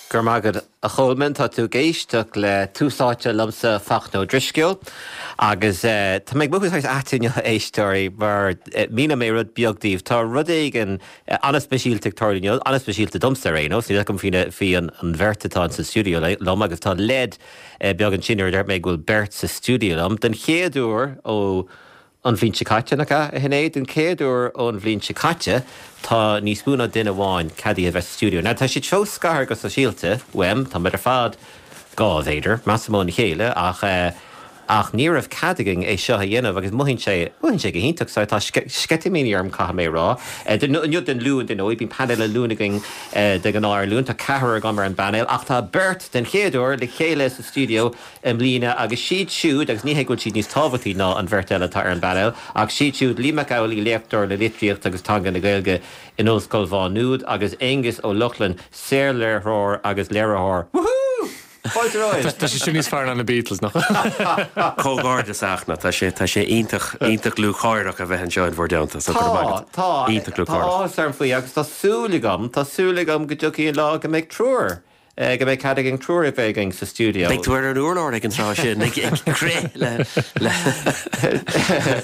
Go raibh maith agat, a Cholmáin. Tá tú ag éisteacht le Tús Áite liomsa, Fachtna Ó Drisceoil, agus tá mé ag mothú saghas ait inniu, a éisteoirí, mar míneoidh mé rud beag daoibh. Tá rud éigin an-speisialta ag tarlú inniu, an-speisialta domsa ar aon nós, níl a fhios agam faoi an bheirt atá sa stiúideo liom, agus tá leid beag ansin nuair a deir mé go bhfuil beirt sa stiúideo liom. Den chéad uair ó An bhliain seo caite, nach ea, a Shinéad? Den chéad uair ón bhliain seo caite, tá níos mó ná duine amháin ceadaithe a bheith sa stiúideo. Now, tá siad fós scartha go sóisialta uaim, tá muid ar fad 2 mhéadar, measaim, óna chéile, ach eh, ach ní raibh cead againn é seo a dhéanamh agus mothaíonn sé, mothaíonn sé go hiontach. So, tá sceitimíní orm, caithfidh mé a rá. Inniu don Luan, dar ndóigh, bíonn painéal an Luain againn de ghnáth ar an Luan, tá ceathrar agam ar an bpainéal, ach tá beirt den chéad uair le chéile sa stiúideo i mbliana agus siad siúd, agus ní hé go bhfuil siad níos tábhachtaí ná an bheirt eile atá ar an bpainéal, ach siad siúd, Liam Mac Amhlaigh, léachtóir le Litríocht agus Teanga na Gaeilge in Ollscoil Mhá Nuad agus Aonghus Ó Lochlainn, saorléiritheoir agus léiritheoir. Woohoo! Fáilte romhaibh! Tá sé sin níos fearr ná na Beatles, nach bhfuil? Comhghairdeas, a Fhachtna. Tá sé, tá sé iontach, iontach lúcháireach a bheith anseo in bhur dteannta, so go raibh maith agat. Tá, tá. Iontach Tá lúcháireach. áthas orm faoi agus tá súil agam, tá súil agam go dtiocfaidh an lá go mbeidh triúr. Go mbeidh cead againn triúr a bheith againn sa stiúideo. Beidh tú ar an urlár ag an tráth sin, ag crith le.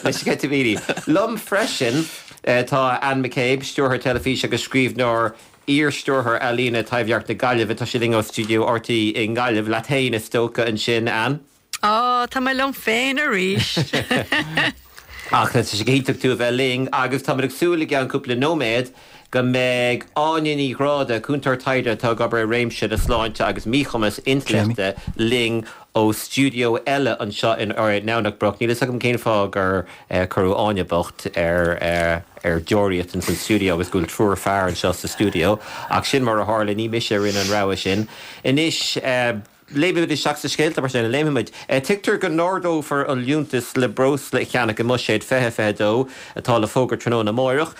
le sceitimíní. Liom freisin tá Anne McCabe, stiúrthóir teilifíse agus scríbhneoir, iar-stiúrthóir ealaíne Taibhdhearc na Gaillimhe. Tá sí linn ó stiúideo RTÉ i nGaillimh. Leat féin is dócha ansin, Anne? Á, tá mé liom féin arís! Ach tá sé go hiontach tú a bheith linn agus táimid ag súil i gceann cúpla nóiméad go mbeidh Áine Ní Ghráda, cúntóir taighde atá ag obair i réimse na sláinte agus míchumas intleachta, linn ó stiúideo eile anseo in nDomhnach Broc. Níl fhios agam cén fáth gur cuireadh Áine bocht ar ar deoraíocht ins an stiúideo agus go bhfuil triúr fear anseo sa stiúideo ach sin mar a tharla, ní mise a rinne an rogha sin. Anois. Léimfimid isteach sna scéalta mar sin, léimfimid. Tuigtear go n-ardófar an liúntas le breosla a cheannach i mBuiséad 2022 atá le fógairt tráthnóna amáireach.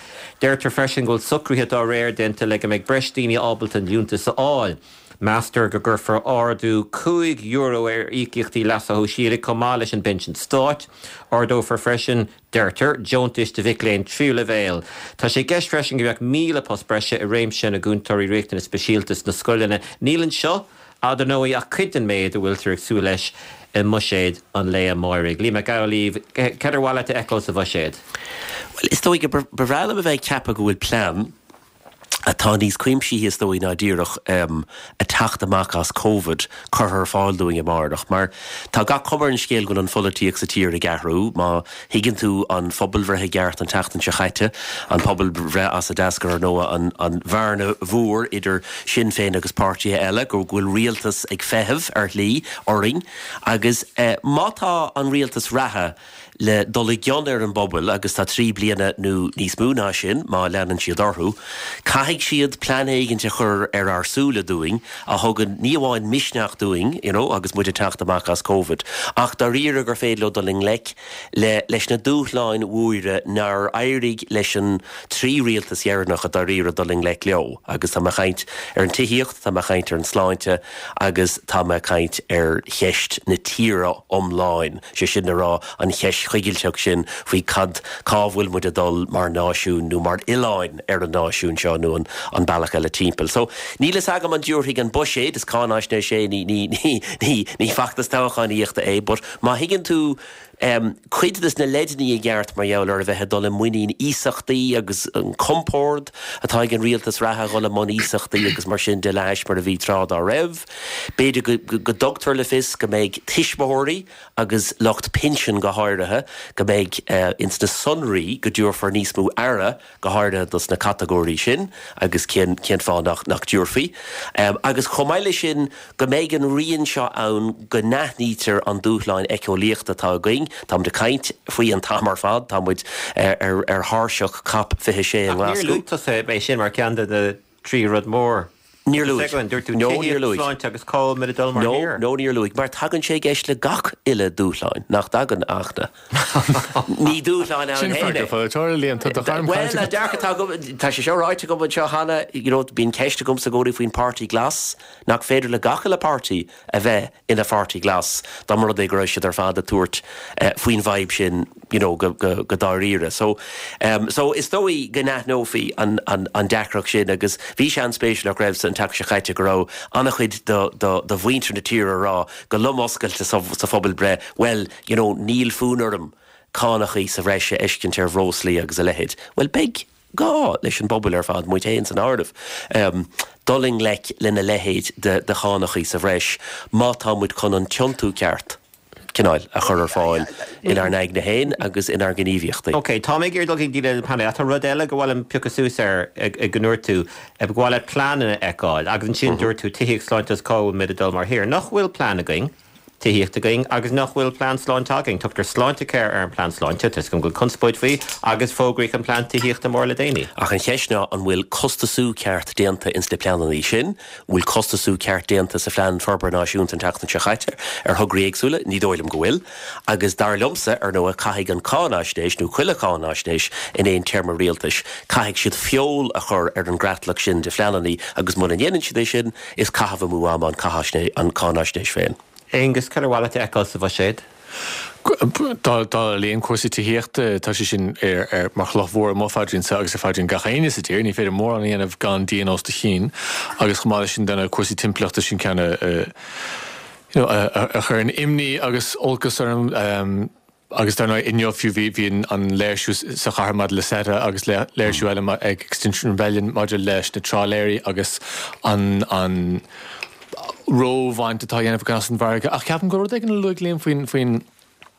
Deirtear freisin go bhfuil socruithe dá réir déanta le go mbeidh breis daoine ábalta an liúntas a fháil. Meastar go gcuirfear ardú €5 ar íocaíochtaí leasa shóisialaigh chomh maith leis an bpinsean stáit. Ardófar freisin deirtear, deontais do mhic léinn tríú leibhéal. Tá sé i gceist freisin go mbeadh 1,000 post breise i réimse na gcúntóirí riachtanas speisialta sna scoileanna. Níl anseo, dar ndóigh, ach cuid den méid a bhfuiltear ag súil leis i mbuiséad an lae amáirigh. Liam Mac Amhlaoibh, cad ar mhaith leat a fheiceáil sa bhuiséad? Bhuel, is dóigh go ba bhreá liom a bheith ag ceapadh go bhfuil plean atá níos cuimsithí is dóigh ná díreach a teacht amach as Covid curtha ar fáil dúinn amárach. Mar tá gach cuma ar an scéal go bhfuil an pholaitíocht sa tír ag athrú. Má thuigeann tú an phobalbhreith i gceart an tseachtain seo chaite, an pobalbhreith as a d'eascair ar ndóigh an an bhearna mhór idir Sinn Féin agus páirtithe eile, go bhfuil rialtas ag feitheamh ar shlí orainn agus má tá an rialtas reatha le dul i gcion ar an bpobal, agus tá 3 bliana nó níos mó ná sin má leanann siad orthu, caithfidh siad plean éigint a chur ar ár súile dúinn a thugann ní amháin misneach dúinn, you know, agus muid ag teacht amach as Covid, ach dáiríre gur féidir leo dul i ngleic le leis na dúshláin mhóra nár éirigh leis an trí rialtas dheireanacha dáiríre dul i ngleic leo. Agus tá mé ag caint ar an tithíocht, tá mé ag caint ar an sláinte agus tá mé ag caint ar cheist na tíre iomláin. sé sin le rá an cheist choigilteach sin faoi cad, cá bhfuil muid ag dul mar náisiún nó mar oileáin ar an náisiún seo nó an an bealach eile timpeall. So, níl fhios agam an dtabharfaidh an buiséad, is cáinaisnéis é, ní, ní, ní, ní, ní feachtas toghchánaíochta é, but má thuigeann tú em cuid des na leideanna i gceart mar gheall ar a bheith ag dul i muinín iasachtaí agus an compord atá ag an rialtas reatha a dhul i mbun iasachtaí agus mar sin de le hais mar a bhí tráth dá raibh. B'fhéidir go go dtugtar le fios go mbeidh tuismitheoirí agus lucht pinsin go háirithe, go mbeidh ins na sonraí go dtabharfar níos mó aire go háirithe dos na catagóirí sin agus cén cén fáth nach nach dtabharfaí. Agus chomh maith leis sin go mbeidh an rian seo ann go n-aithnítear an dúshláin éiceolaíochta atá againn. Tá muid ag caint faoi an t-am ar fad, tá muid ar ar thairseach Cop 26 i Ach níor nGlaschú. luaigh tusa é sin mar cheann de na trí rud mór. Níor luaigh. Segun, dúirt tú No, níor tithíocht, luaigh. sláinte agus cá bhfuil muid ag dul mar No, thír. no, níor luaigh. Mar tagann sé i gceist le gach uile dúshláin, nach dtagann, ach na. Ní dúshláin ann Sin féin freagra é. polaiteora, Liam, tá do ghairm Bhuel, caillte an agat. dearcadh atá agam, tá sé seo ráite agam anseo cheana, you know, bíonn ceist agamsa i gcónaí faoin Páirtí Glas, nach féidir le gach uile páirtí a bheith ina pháirtí glas, dá mba rud é go raibh siad ar fad ag tabhairt faoin bhfadhb sin you know go go dáiríre. So so is dóigh go n-aithneofaí an an an deacracht sin agus bhí sé an-spéisiúil nach raibh san. an tseachtain seo caite go raibh an-chuid de mhuintir na tíre ag rá go lom oscailte sa phobalbhreith, bhuel, you know, níl fonn orm cánachaí sa bhreis a fheiscint ar bhreoslaí agus a leithéid. Bhuel, beidh gá leis an bpobal ar fad, muid féin san áireamh, dul i ngleic lena leithéid de chánachaí sa bhreis má tá muid chun an tiontú ceart, cineáil, a chur ar fáil inár n-aigne féin agus inár ngníomhaíochtaí. Ok, tá mé ag iarraidh dul chuig daoine eile an painéil ach tá rud eile gur mhaith liom piocadh suas air go ndúirt tú, ba mhaith leat pleananna a fheiceáil agus ansin dúirt tú tithíocht, sláinte agus cá bhfuil muid ag dul mar thír. Nach bhfuil plean againn? tithíocht againn agus nach bhfuil plean sláinte againn. Tugtar Sláintecare ar an bplean sláinte, tá 'fhios agam go bhfuil conspóid faoi, agus fógraíodh an plean tithíochta mór le déanaí. Ach an cheist ná an bhfuil costasú ceart déanta ins na pleananna sin? An bhfuil costasú ceart déanta sa Phlean Forbartha Náisiúnta an tseachtain seo chaite ar thograí éagsúla? Ní dóigh liom go bhfuil. Agus dar liomsa, ar ndóigh, caithfidh an cáinaisnéis, nó chuile cháinaisnéis in aon téarma rialtais, caithfidh siad feol a chur ar an gcreatlach sin de phleananna agus muna ndéanann siad é sin, Is caitheamh amú ama an cáinaisnéis féin. Aengus, cad ar mhaith leat a fheiceáil sa bhuiséad? Dála Liam, cúrsaí tithíochta, tá sé sin mar chloch mhór i mo phaidrín-sa agus ar phaidrín gach éinne sa tír. Ní féidir mórán a dhéanamh gan díon os do chionn. Agus chomh maith leis sin, dar ndóigh, cúrsaí timpeallachta, sin ceann a you know a chuireann imní agus olcas orm. Agus dar ndóigh inniu fiú bhí bhí an léirsiú sa chathair maidir le CETA agus léirsiú eile ag Extinction Rebellion maidir leis na trálaeirí agus an an róbhaint atá á dhéanamh againn as an bhfarraige. Ach ceapaim go bhfuil rud éigin a luaigh Liam faoin faoin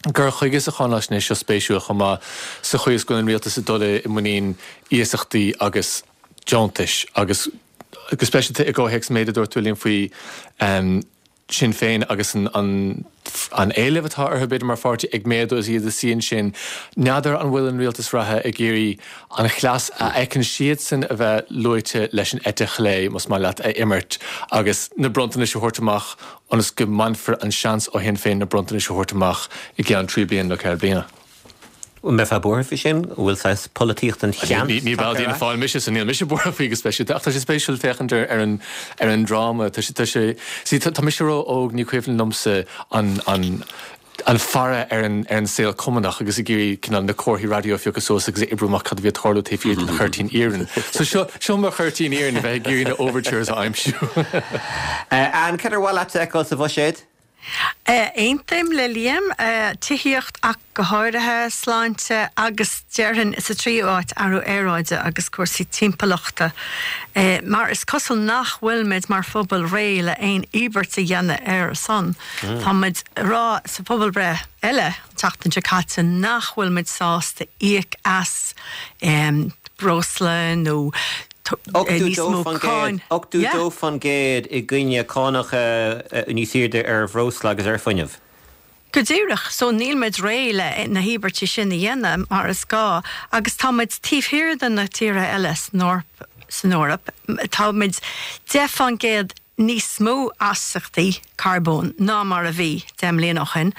gcur chuige sa cháinaisnéis seo spéisiúil chomh maith sa chaoi is go bhfuil an rialtas ag dul i muinín iasachtaí agus deontais agus go speisialta i gcomhthéacs an méid a dúirt tú Liam faoi Sinn Féin agus an an éileamh atá orthu, b'fhéidir, mar pháirtí ag méadú is iad ag suí ansin. N'fheadar an bhfuil an rialtas reatha ag iarraidh an chleas a fheiceann siadsan a bheith luaite leis an eite chlé, más maith leat, a imirt agus na bronntanais a thabhairt amach ionas go mbainfear an seans ó Shinn Féin na bronntanais a thabhairt amach i gceann 3 bliana nó 4 bliana. An mbeifeá buartha faoi sin? An bhfuil saghas polaitíocht an cheant Ní ball d'Fhianna tagtha ar Fáil mise, so níl mise buartha faoi go speisialta, ach tá sé spéisiúil féachaint ar an ar an dráma. Tá sé, tá sé, see, tá mise ró-óg, ní cuimhin liomsa an an an faire ar an ar an saol cumannach agus ag iarraidh cineál na comharthaí raidió a phiocadh suas agus a oibriú amach cad a bhí ag tarlú taobh thiar den chuirtín iarainn. So seo, seo mo chuirtín iarainn, a bheith ag iarraidh na overtures a aimsiú. Ann, cad ar mhaith leat a fheiceáil sa bhuiséad? Aontaím le Liam, tithíocht ach go háirithe, sláinte agus déarfainn sa tríú áit athrú aeráide agus cúrsaí timpeallachta mar is cosúil nach bhfuil muid mar phobal réidh le aon íobairt a dhéanamh ar a son. Tá muid ag rá sa phobalbhreith eile an tseachtain seo caite nach bhfuil muid sásta íoc as breosla nó níos mó cáin. 82% i gcoinne cánacha níos airde ar bhreosla agus ar fuinneamh. Go díreach. So níl muid réidh le na híobairtí sin a dhéanamh mar is gá agus tá muid taobh thiar de na tíortha eile san Eoraip. Tá muid 10% níos mó astaíochtaí carbóin ná mar a bhí 10 mbliana ó shin,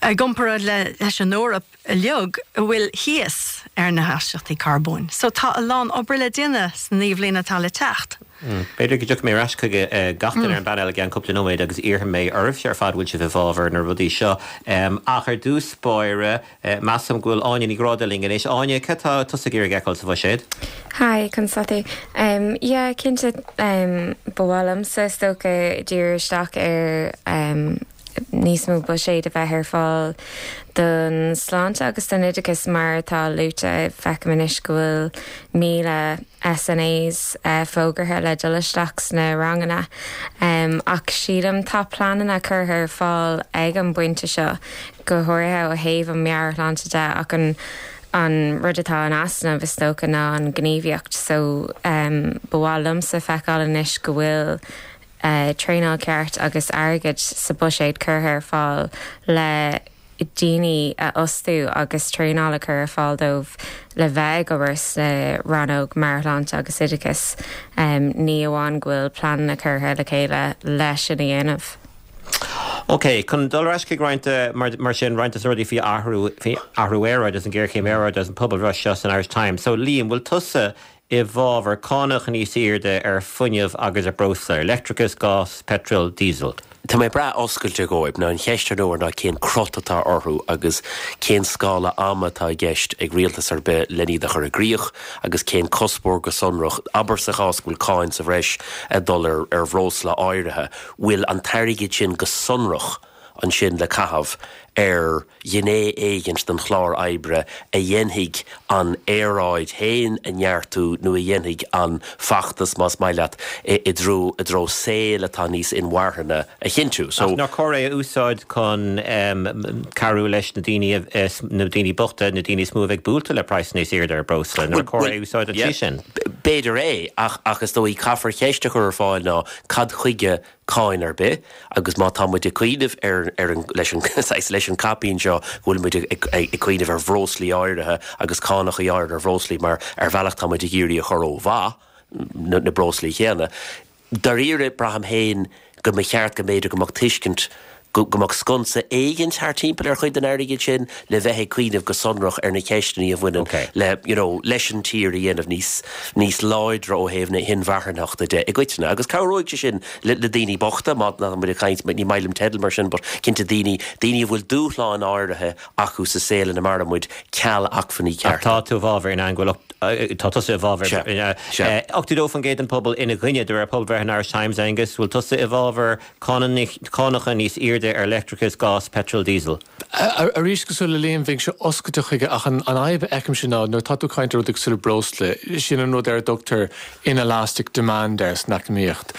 i gcomparáid leis an Eoraip uilig a bhfuil thíos ar na hastaíochtaí carbóin. So tá a lán obair le déanamh sna naoi bhliana atá le teacht. B'fhéidir go dtiocfaidh mé ar ais chuig gach duine ar an bpainéal i gceann cúpla nóiméad agus iarrfaidh mé oraibhse ar fad bhfuil sibh i bhfabhar na rudaí seo. Ach ar dtús báire, Measaim go bhfuil Áine Ní Ghráda linn anois. Áine, cad tá tusa ag iarraidh a fheiceáil sa bhuiséad? Hi, conas tá tú? Yeah, cinnte, ba mhaith liomsa is dócha díriú isteach ar níos mó buiséid a bheith ar fáil don sláinte agus don oideachas mar atá luaite, feicim anois go bhfuil 1,000 SNAs fógartha le dul isteach sna ranganna ach sílim tá pleananna curtha ar fáil ag an bpointe seo go háirithe ó thaobh an meabhairshláinte de ach an an rud atá in easnamh is dócha ná an ghníomhaíocht so ba mhaith liomsa feiceáil anois go bhfuil traenáil ceart agus airgead sa buiséad curtha ar fáil le daoine a fhostú agus traenáil a chur ar fáil dóibh le bheith ag obair sna rannóg meabhairshláinte agus oideachais, ní amháin go bhfuil pleananna curtha le chéile leis sin a dhéanamh. Ok, chun dul ar ais chuig roinnt, mar sin, roinnt de na rudaí faoi athrú, faoi athrú aeráide agus an ghéarchéim aeráide agus an pobalbhreith seo san Irish Times. So, Liam, bhfuil tusa i bhfabhar cánach níos airde ar fuinneamh agus ar breosla, ar leictreachas, gás, peitreal, díosal? Tá mé breá oscailte dhóibh. Now an cheist ar ndóigh ná cén crot atá orthu agus cén scála ama atá i gceist ag rialtas ar bith len iad a chur i gcrích agus cén cuspóir go sonrach, abair sa chás go bhfuil cáin sa bhreis ag dul ar ar bhreosla áirithe, bhfuil an t-airgead sin go sonrach ansin le caitheamh ar ghné éigint den chlár oibre a dhéanfaidh an aeráid féin a neartú nó a dhéanfaidh an feachtas, más maith leat, i dtreo i dtreo saol atá níos inmharthana a chinntiú. So. Ach nár chóir é a úsáid chun cabhrú leis na daoine, na daoine bochta, na daoine is mó a bheidh buailte le praghas níos airde ar breosla? Nár chóir é a úsáid an tslí sin? B'fhéidir é, ach ach is dóigh caithfear ceist a chur ar fáil ná cad chuige cáin ar bith agus má tá muid ag cuimhneamh ar ar an leis an saghas leis an caipín seo go bhfuil muid ag ag cuimhneamh ar bhreoslaí áirithe agus cánachaí áirithe ar bhreoslaí mar ar bhealach tá muid ag iarraidh a chur ó mhaith na na breoslaí chéanna. Dáiríre braithim féin go mba cheart go mb'fhéidir go mbeadh tuiscint go go mbeadh sconsa éigint thart timpeall ar chuid den airgead sin le bheith ag cuimhneamh go sonrach ar na ceisteanna a bhaineann Ok. le you know leis an tír a dhéanamh níos níos láidre ó thaobh na hinmharthanachta de i gcoitinne. Agus cabhróidh sé sin le le daoine bochta, má tá muid ag caint, ní maith liom teideal mar sin but cinnte daoine daoine a bhfuil dúshláin áirithe acu sa saol ina maireann muid ceal acmhainní Ach cearta. tá tú i bhfabhar in ann go bhfuil tá tusa i bhfabhar Sea, sea. 82% den pobal ina gcoinne de réir pobalbhreith an Irish Times, Aengus, bhfuil tusa i bhfabhar Cánacha níos airde ar leictreachas, gás, peitreal, díosal. Arís, cosúil le Liam, bheinnse oscailte chuige ach an fhadhb a fheicimse ná nuair atá tú ag caint ar rudaí cosúil le breosla, sin an rud ar a dtugtar inelastic demand air san eacnamaíocht.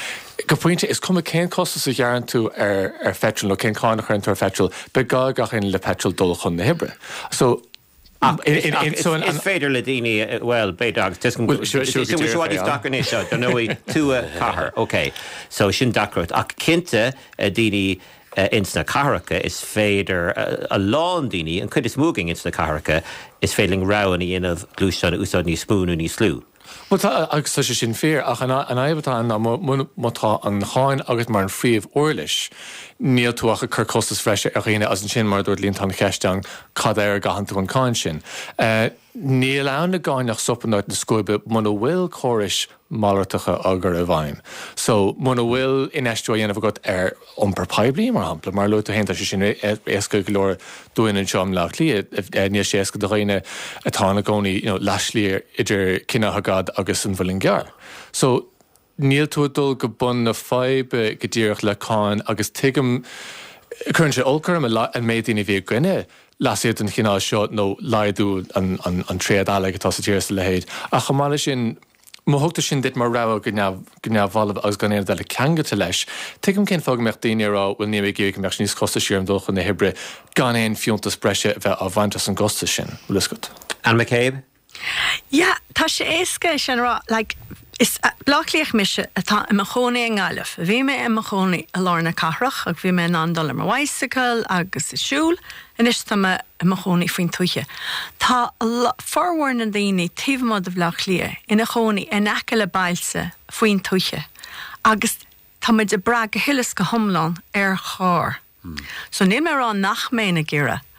Go pointe, is cuma cén costas a ghearrann tú ar pheitreal nó cén cáin a chuireann tú ar pheitreal, beidh gá ag gach éinne le peitreal dul chun na hoibre. So. Ach is féidir le daoine, bhuel, b'fhéidir, agus tuigim go bhfuil sé i bhfad níos deacra anois, dar ndóigh, tuath, cathair, ok, so sin deacracht. Ach cinnte, daoine ins na cathracha, is féidir, a lán daoine, an chuid is mó againn ins na cathracha, is féidir linn rogha a dhéanamh gluaisteán a úsáid níos mó nó níos lú. Bhuel tá, agus tá sé sin fíor, ach an fhadhb atá ann ná má tá an cháin agat mar an phríomh-uirlis, níl tú ach ag cur costas bhreise ar dhaoine agus ansin, mar a dúirt Liam, tá an cheist ann cad air a gcaitheann tú an cáin sin. Níl ann i gcáin ach sop in áit na scuaibe muna bhfuil córais malartacha á gcur i bhfeidhm. So, muna bhfuil infheistiú á dhéanamh agat ar iompar poiblí, mar shampla, mar a luaigh tú féin, tá sé sin éasca go leor dúinn anseo i mBleá Cliath, níl sé éasca do dhaoine atá ina gcónaí you know leathshlí idir Cinn Átha Gad agus an Mhuileann gCearr. So, níl tú ag dul go bun na faidhbe go díreach le cáin agus tuigim, cuireann sé olc orm an méid daoine a bhí i gcoinne leasuithe den chineál seo nó laghdú an tréad eallaigh atá sa tír is a leithéid. Ach chomh maith leis sin, má thugtar sin duit mar rogha go neamhbhalbh agus gan aon rud eile ceangailte leis, tuigim cén fáth go mbeadh daoine ag rá bhuel níl mé ag iarraidh go mbeadh sé níos costaisí orm dul chun na hoibre gan aon fiúntas breise a bheith á bhaint as an gcostas sin. Bhfuil fhios agat? Anne McCabe? Yeah, tá sé éasca é sin a rá. Like, is Bleá Cliathach mise atá i mo chónaí i nGaillimh. Bhí mé i mo chónaí i lár na cathrach agus bhí mé in ann dul ar mo bhicycle agus ag siúl. Anois tá mé i mo chónaí faoin tuaithe. Tá formhór na ndaoine taobh amuigh de Bhleá Cliath ina chónaí in aice le bailte faoin tuaithe agus tá muid ag brath go huile is go hiomlán ar charr. So níl mé ag rá nach mbeinn ag iarraidh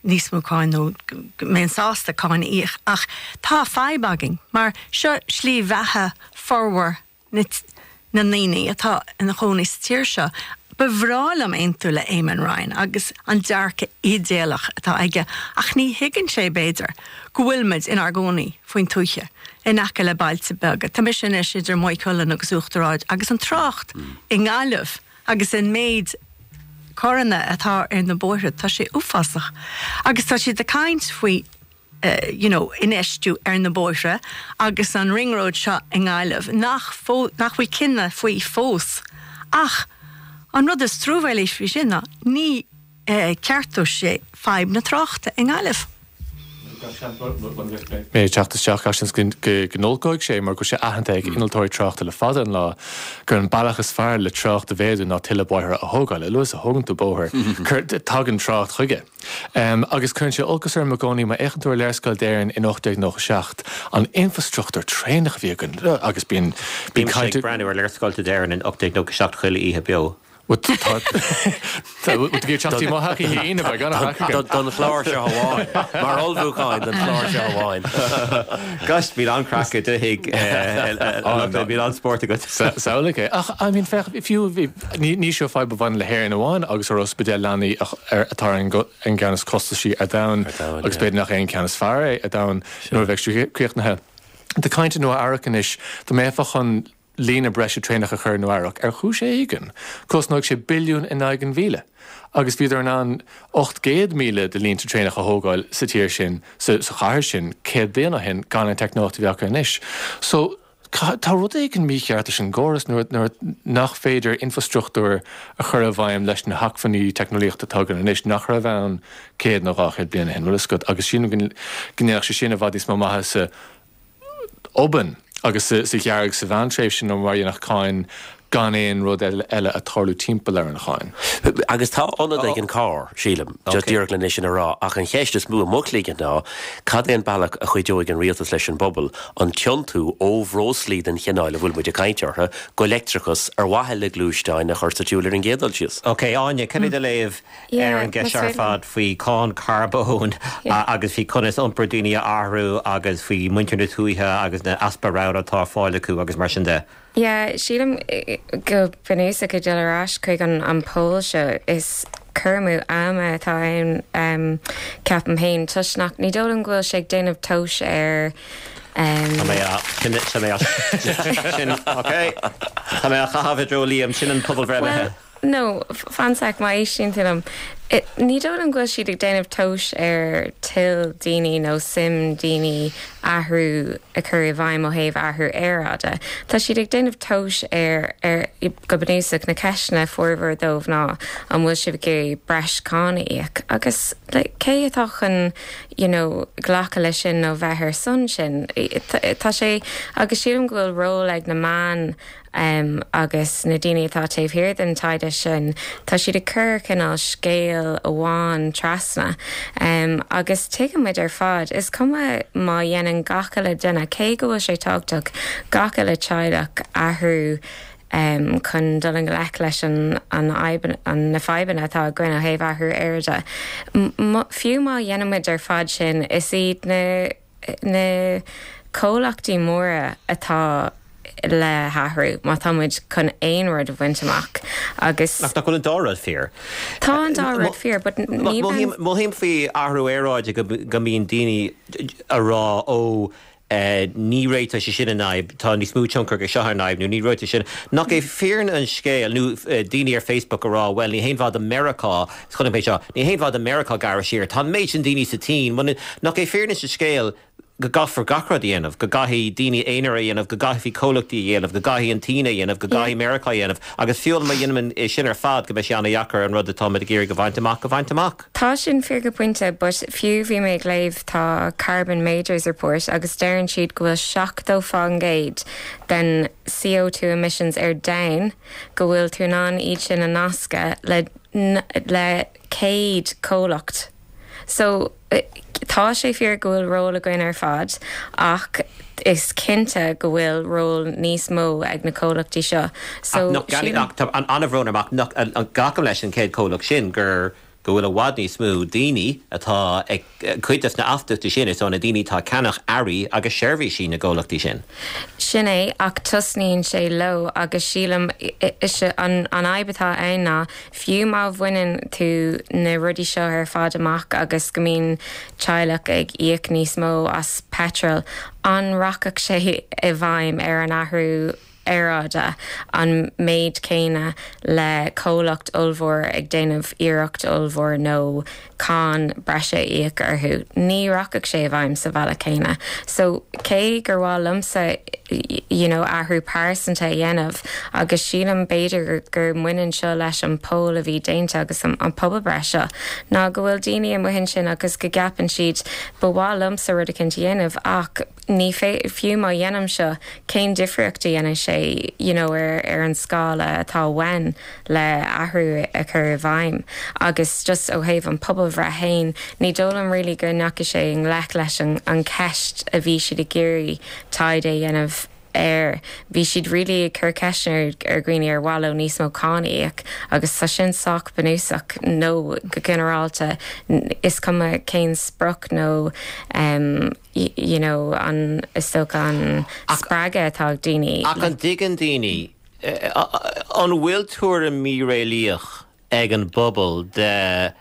níos mó cáin nó go mbeinn sásta cáin a íoc ach tá fadhb againn mar seo slí bheatha formhór na na ndaoine atá ina chónaí sa tír seo. Ba bhreá liom aontú le Eamon Ryan agus an dearcadh idéalach atá aige ach ní thuigeann sé, b'fhéidir, go bhfuil muid inár gcónaí faoin tuaithe, in aice le bailte beaga. Tá mise anois idir Maigh Cuilinn agus Uachtar Ard agus an trácht i nGaillimh agus an méid carranna atá ar na bóithre, tá sé uafásach. Agus tá siad ag caint faoi you know infheistiú ar na bóithre agus an ring road seo i nGaillimh nach nach bhfuil cinneadh faoi fós. Ach an rud is truamhéalaí faoi sin ná ní ceartóidh sé fadhb na tráchta i nGaillimh. Mé ag teacht isteach, gach seans go n-olcóidh sé mar go bhfuil sé aitheanta ag innealtóirí tráchta le fada an lá gur an bealach is fearr le trácht a mhéadú ná tuilleadh bóithre a thógáil. A luaithe is a thógann tú bóthar, tagann trácht chuige. Agus cuireann sé olcas orm i gcónaí má fhéachann tú ar léarscáil d'Éirinn in 1897, an infrastruchtúr traenach a bhí againn agus bíonn caint. Bímse ag breathnú ar léarscáilte d'Éirinn in 1897 chuile oíche beo. Bhuel tá bhfuil tú ag iarraidh teacht i mo theach oíche Aoine beidh an-chraic againn. Don chlár seo amháin. Mar ullmhúcháin don chlár seo amháin. Gosh, bíonn an-chraic i do thigh, bíonn an-spórt agat. Samhlaigh é. Ach, I mean, féach, fiú, ní seo fadhb a bhaineann le hÉirinn amháin agus ár ospidéal leanaí atá ar an gceann is costasaí ar domhan agus b'fhéidir nach é an ceann is fearr é ar domhan nuair a bheidh sé críochnaithe. Tá caint i Nua Eabhrac anois, dá mbeifeá chun líne breise traenach a chur i Nua Eabhrac, ar chúis éigin, cosnóidh sé billiún in aghaidh an mhíle. Agus bhíodar in ann 800,000 de línte traenach a thógáil sa tír sin, sa chathair sin, 100 bliain ó shin, gan an teicneolaíocht a bhí acu anois. So, tá rud éigin mícheart leis an gcóras nuair nuair nach féidir infreastruchtúr a chur i bhfeidhm leis na hacmhainní teicneolaíochta atá againn anois, nach raibh ann 100 nó 200 bliain ó shin, bhfuil a fhios agat. Agus sílim go ndéanfadh sé sin i bhfad níos mó maitheasa obann agus sa ghearr sa mheántréimhse ná mar a dhéanfadh cáin gan aon rud eile ag tarlú timpeall ar an cháin. Agus tá ionad ag an carr, sílim, just díreach lena sin a rá, ach an cheist is mó i mo chloigeann ná cad é an bealach a chuideoidh an rialtas leis an bpobal an tiontú ó bhreoslaí den chineál a bhfuil muid ag caint orthu go leictreachas ar mhaithe le gluaisteáin a chur sa tsiúl ar an gcéad dul síos. Ok, Áine, cad é do léamh ar an gceist seo ar fad faoi cháin carbóin agus faoi conas iompar daoine a athrú agus faoi muintir na tuaithe agus na easpa roghanna atá ar fáil acu agus mar sin de. Yeah, sílim go bunúsach ag dul ar ais chuig an poll seo, is cur amú ama atá ann ceapaim féin toisc nach, ní dóigh liom go bhfuil sé ag déanamh tomhais ar Tá mé á, sin, tá mé á, sin, ok, tá mé á chaitheamh i dtreo Liam, sin an pobalbhreith imithe. No, fan sec, má éistíonn tú liom. Ní dóigh liom go bhfuil siad ag déanamh tomhais ar toil daoine nó suim daoine athrú a chur i bhfeidhm ó thaobh athrú aeráide. Tá siad ag déanamh tomhais ar, ar, go bunúsach, na ceisteanna formhór dóibh ná an bhfuil sibh ag iarraidh breis cáin a íoc? Agus like cé atá chun you know glacadh leis sin nó bheith ar son sin? Tá sé, agus sílim go bhfuil ról ag na meáin agus na daoine atá taobh thiar den taighde sin, tá siad ag cur cineál scéal amháin trasna. Agus tuigeann muid ar fad, is cuma má dhéanann gach uile duine, cé go bhfuil sé tábhachtach, gach uile teaghlach athrú chun dul i ngleic leis an fhadhb, na fadhbanna atá againn ó thaobh athrú aeráide. Fiú má dhéanann muid ar fad sin, is iad na. na comhlachtaí móra atá le hathrú má tá muid chun aon rud a bhaint amach agus. Ach nach bhfuil an dá rud fíor? Tá an dá rud fíor but ní bheinn. Mothaím faoi athrú aeráide go mbíonn daoine a rá ó ní réiteoidh sé sin an fhadhb, tá níos mó tionchar aige seo ar an fhadhb nó ní réiteoidh sin. Nach é fírinne an scéil nó daoine ar Facebook a rá bhuel ní haon mhaith do Meiriceá, Chonaic mé seo. Ní haon mhaith do Meiriceá gearradh siar. Tá an méid sin daoine sa tSín. Nach é fírinne an scéil go gcaithfear gach rud a dhéanamh, go gcaithfidh daoine aonair a dhéanamh, go gcaithfidh comhlachtaí a dhéanamh, go gcaithfidh an tSín a dhéanamh, go gcaithfidh Meiriceá a dhéanamh, agus fiú má dhéanaimid é sin ar fad go mbeidh sé an-dheacair an rud atáimid ag iarraidh a bhaint amach a bhaint amach. Tá sin fíor go pointe, but fiú bhí mé ag léamh tá Carbon Majors Report agus deireann siad go bhfuil 70% den CO2 emissions ar domhan go bhfuil tú in ann iad sin a nascadh le le 100 comhlacht. So, tá sé fíor go bhfuil ról againn ar fad ach is cinnte go bhfuil ról níos mó ag na comhlachtaí seo. So, Ach nach, sílim. ach tá an-bhrón orm ach nach, glacaim leis an 100 comhlacht sin gur, go bhfuil i bhfad níos mó daoine atá ag, cuid des na astaíochtaí sin, is ó na daoine atá ag ceannach earraí agus seirbhísí na gcomhlachtaí sin. Sin é, ach tosnaíonn sé leo agus sílim, is é an fhadhb atá ann ná fiú má bhaineann tú na rudaí seo ar fad amach agus go mbíonn teaghlach ag íoc níos mó as peitreal, an rachadh sé i bhfeidhm ar an athrú aeráide an méid céanna le comhlacht ollmhór ag déanamh iarracht ollmhór nó cáin breise a íoc orthu. Ní rachadh sé i bhfeidhm sa bhealach céanna. So, cé gur mhaith liomsa you know athrú pearsanta a dhéanamh agus sílim b'fhéidir gur mbaineann seo leis an poll a bhí déanta agus an pobalbhreith seo ná go bhfuil daoine amuigh ansin agus go gceapann siad ba mhaith liomsa rud eicínt a dhéanamh ach ní fiú má dhéanaim seo, cén difríocht a dhéanfaidh sé you know ar ar an scála atá uainn le athrú a chur i bhfeidhm? Agus just ó thaobh an pobalbhreith fhéin, ní dóigh liom really go ndeachaigh sé i ngleic leis an an cheist a bhí siad ag iarraidh taighde a dhéanamh. air. Bhí siad really ag cur ceisteanna ar dhaoine ar mhaith leo níos mó cáin a íoc agus tá sin sách bunúsach nó go ginearálta is cuma cén sprioc nó you know an is dócha an spreagadh atá ag daoine. Ach an dtuigeann daoine, an bhfuil tuairim mhíréalaíoch ag an bpobal de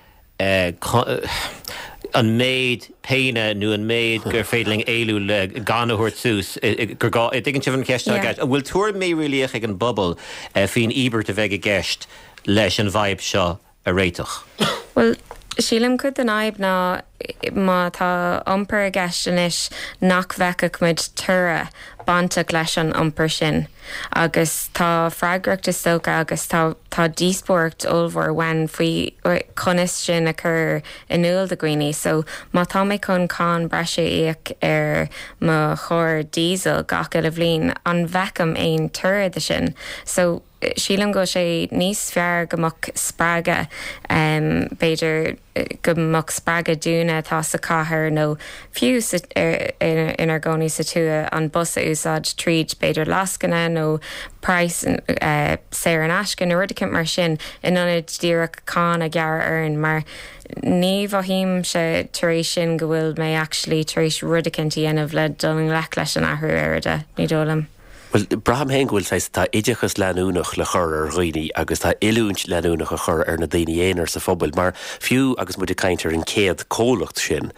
an méid péine nó an méid gur féidir linn éalú le gan a thabhairt suas gur gá, dtuigeann sibh an cheist atá i gceist? An bhfuil tuairim mhíréalaíoch ag an bpobal faoin íobairt a bheidh i gceist leis an bhfadhb seo a réiteach? Bhuel, sílim cuid den fhadhb ná má tá iompar i gceist anois nach bhfeicfeadh muid toradh bainteach leis an iompar sin agus tá freagracht is dócha agus tá tá díospóireacht ollmhór uainn faoi conas sin a chur in iúl do dhaoine. So má tá mé chun cáin breise a íoc ar mo charr diesel gach uile bhliain, an bhfeicim aon toradh de sin? So sílim go bhfuil sé níos fearr go mbeadh spreagadh, b'fhéidir go mbeadh spreagadh dúinne atá sa chathair nó fiú inár gcónaí sa tuath an bus a úsáid tríd b'fhéidir lascaine nó praghas saor in aisce nó rud eicínt mar sin in ionad díreach cáin a ghearradh orainn mar ní mhothaímse tar éis sin go bhfuil mé actually tar éis rud eicínt a dhéanamh le dul i ngleic leis an athrú aeráide, ní dóigh liom. Bhuel, braithim féin go bhfuil saghas, tá oideachas leanúnach le cur ar dhaoine agus tá oiliúint leanúnach a chur ar na daoine aonair sa phobal mar fiú agus muid ag caint ar an 100 comhlacht sin,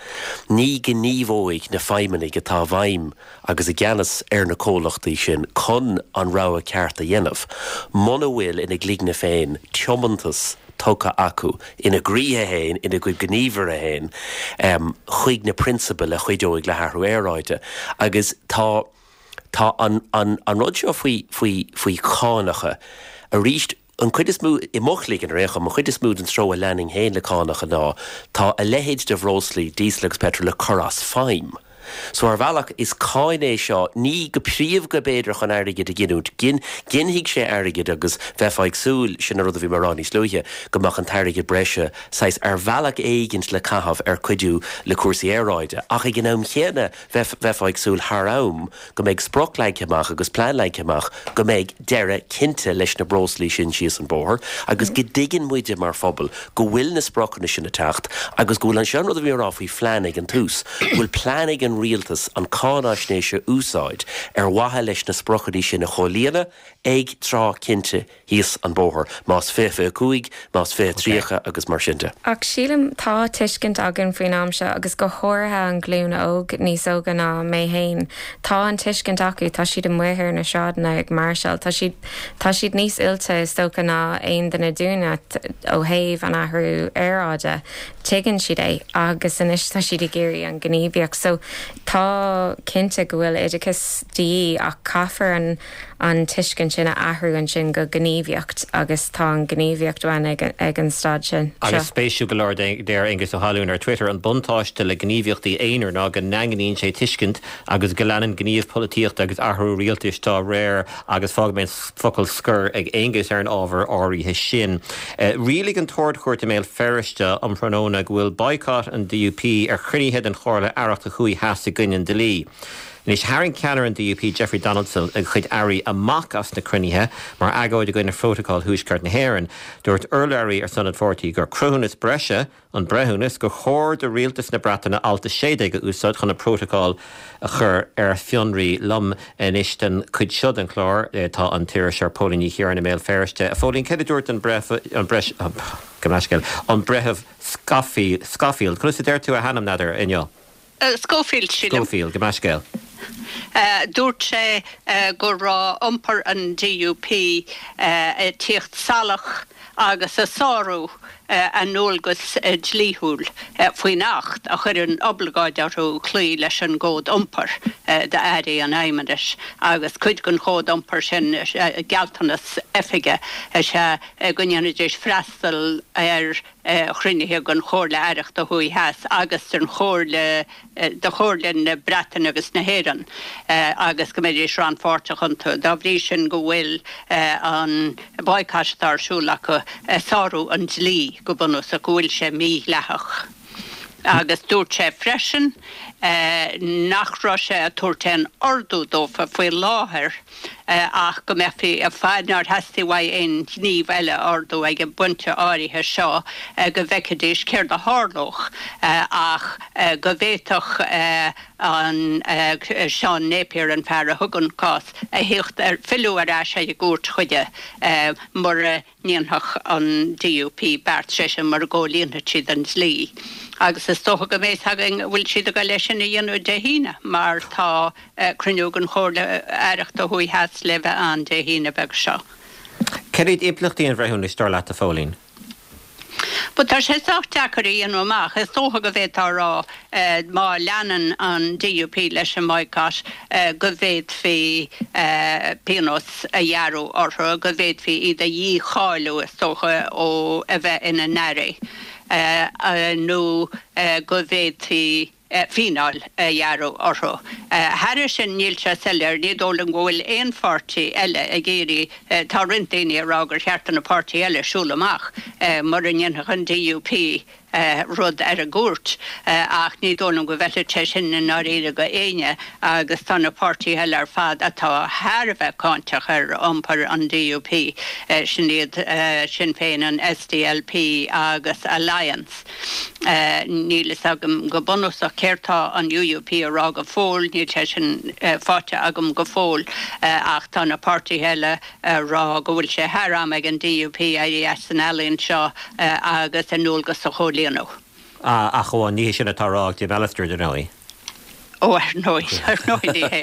ní gníomhóidh na feidhmeannaigh atá i bhfeidhm agus i gceannas ar na comhlachtaí sin chun an rogha ceart a dhéanamh muna bhfuil ina gcloigne féin tiomantas tugtha acu ina gcroíthe féin, ina gcuid gníomhartha féin chuig na prionsabail a chuideoidh le hathrú aeráide agus tá. Tá an, an, an rud seo faoi, faoi, faoi chánacha, arís, an chuid is mó, i mo chloigeann ar aon chuma, an chuid is mó den treo a leanfainn féin le cánacha ná tá a leithéid de bhreoslaí, díosal agus peitreal, le cur as feidhm. So ar bhealach, is cáin é seo, ní go príomha b'fhéidir chun airgead a ghiniúint, gin, ginfidh sé airgead agus bheifeá ag súil, sin an rud a bhí mé a rá níos luaithe, go mbeadh an t-airgead breise saghas ar bhealach éigint le caitheamh ar cuidiú le cúrsaí aeráide. Ach ag an am chéanna, Bheifeá ag súil thar am go mbeidh sprioc leagtha amach agus plean leagtha amach go mbeidh deireadh cinnte leis na breoslaí sin síos an bóthar agus go dtuigeann muide mar phobal go bhfuil na spriocanna sin ag teacht agus go bhfuil an, seo an rud a bhí mé a rá faoi phlean ag an tús, go bhfuil plean ag an rialtas an cáinaisnéis a úsáid ar mhaithe leis na spriocanna sin a chomhlíonadh ag tráth cinnte thíos an bóthar, más 2025, más 2030 agus mar sin de. Ach sílim, tá tuiscint againn faoin am seo, agus go háirithe an ghlúin óg, níos óige ná mé fhéin, tá an tuiscint acu, tá siad amuigh ar na sráideanna ag máirseáil, tá siad, tá siad níos oilte is dócha ná aon duine dúinne ó thaobh an athrú aeráide, tuigeann siad é agus anois tá siad ag iarraidh an ghníomhaíocht. So tá cinnte go bhfuil oideachas de dhíth ach caithfear an. an tuiscint sin a athrú ansin go gníomhaíocht agus tá an ghníomhaíocht uainn ag an staid sin. Agus spéisiúil go leor, deir Aengus Ó hAlúin ar Twitter, an buntáiste le gníomhaíochtaí aonair ná go ndaingníonn sé tuiscint agus go leanann gníomh polaitíochta agus athrú rialtais dá réir agus fágfaidh mé an focal scoir ag Aengus ar an ábhar áirithe sin. Rialaigh an tArd-Chúirt i mBéal Feirste um thráthnóna go bhfuil boycott an DUP ar chruinnithe den Chomhairle Aireachta Thuaidh Theas i gcoinne an dlí. Anois, tharraing ceannaire an DUP, Jeffrey Donaldson, a chuid airí amach as na cruinnithe mar agóid i gcoinne phrótacal Thuaisceart na hÉireann. Dúirt urlabhraí ar son an pháirtí gur cruthúnas breise an breithiúnas gur chóir do rialtas na Breataine Alt 16 a úsáid chun an prótacal a chur ar fionraí. Liom anois don chuid seo den chlár tá an t-iriseoir Póilín Ní Chiaráin i mBéal Feirste. A Phóilín, céard a dúirt an breitheamh, an breitheamh Scofield, conas a deir tú a hainm, n'fheadar, inniu? Schofield, sílim. Schofield, gabh mo leithscéal. Dúirt sé go raibh iompar an DUP ag tíocht salach agus ag sárú a ndualgas dlíthiúil faoin Acht a chuireann oibleagáid orthu cloí leis an gCód Iompair d'Airí an Fheidhmeannais agus cuid den Chód Iompair sin, gealltanas oifige is ea go ndéanfaidís freastal ar chruinnithe den Chomhairle Aireachta Thuaidh Theas agus den Chomhairle de Chomhairle na Breataine agus na hÉireann agus go mbeidís rannpháirteach iontu. Dá bhrí sin go bhfuil an boycott atá ar siúl acu ag sárú an dlí go bunúsach, go bhfuil sé mídhleathach. Agus dúirt sé freisin. nach raibh sé ag tabhairt aon ordú dófa faoi láthair ach go mbeifí ag fad nár theastaigh uaidh aon ghníomh eile a ordú ag an bpointe áirithe seo go bhfeicfidís céard a tharlódh ach go bhféadfadh an Seán Napier, an fear a thug an cás, a thíocht ar, filleadh ar ais ar an gcúirt chuige mura ndéanfadh an DUP beart, sé sin mura gcomhlíonfadh siad an dlí. Agus is dócha go mbeidh a fhios againn an bhfuil siad ag dul é sin a dhéanamh Dé hAoine mar tá cruinniú den Chomhairle Aireachta Thuaidh Theas le bheith ann Dé hAoine beag seo. Cad iad impleachtaí an bhreithiúnais, dar leat, a Phóilín? Bhuel, tá sé sách deacair a dhéanamh amach. Is dócha go bhféadfá a rá, má leanann an DUP leis an mboycott, go bhféadfaí pionós a ghearradh orthu, go bhféadfaí iad a dhícháiliú, is dócha, ó a bheith ina n-airí, nó go bhféadfaí. fíneáil a ghearradh orthu. Thairis sin, níl sé soiléir, ní dóigh liom go bhfuil aon pháirtí eile ag iarraidh, tá roinnt daoine ag rá gur cheart do na páirtithe eile siúl amach mura ndéanfadh an DUP rud ar an gcúirt, ach ní dóigh liom go bhfeilfeadh sé sin i ndáiríre go éinne agus tá na páirtithe eile ar fad atá thar a bheith cáinteach ar iompar an DUP, sin iad Sinn Féin, an SDLP agus Alliance. Níl fhios agam go bunúsach céard tá an UUP a rá go fóill, níl sé sin faighte agam go fóill, ach tá na páirtithe eile a rá go bhfuil sé thar am ag an DUP éirí as an ealaín seo agus a ndualgas a chomhlíonadh. Ach amháin, ní hé sin atá á rá ag Jim Allister, dar ndóigh. Ó, ar ndóigh, ar ndóigh ní hé.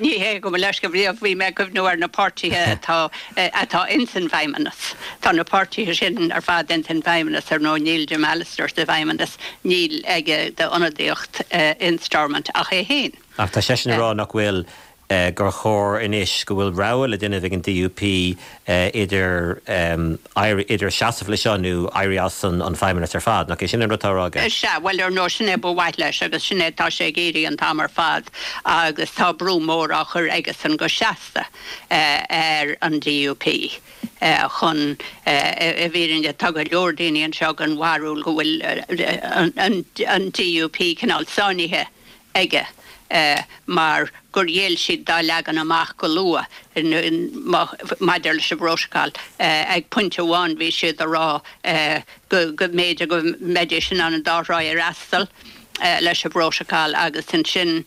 Ní hé, gabh mo leithscéal, bhí, bhí mé ag cuimhniú ar na páirtithe atá, atá ins an bhFeidhmeannas. Tá na páirtithe sin ar fad ins an bhFeidhmeannas, ar ndóigh, níl Jim Allister sa bhFeidhmeannas, níl aige d'ionadaíocht in Stormont ach é féin. Ach tá seisean ag rá nach bhfuil gur chóir anois go bhfuil rogha le déanamh ag an DUP idir éirí, idir seasamh leis seo nó éirí as an Feidhmeannas ar fad. Nach é sin an rud atá á rá aige? Sea, bhuel, ar ndóigh, sin é ba mhaith leis agus sin é atá sé ag iarraidh an t-am ar fad agus tá brú mór á chur aigesan go seasta ar an DUP chun, i bhfírinne, tá go leor daoine anseo den bharúil go bhfuil an DUP cineál sáinnithe aige mar gur ghéill siad dá leagan amach go luath maidir leis an bprótacal. Ag pointe amháin bhí siad ag rá go mb'fhéidir go mbeidís in ann an dá thrá a fhreastal leis an bprótacal agus ansin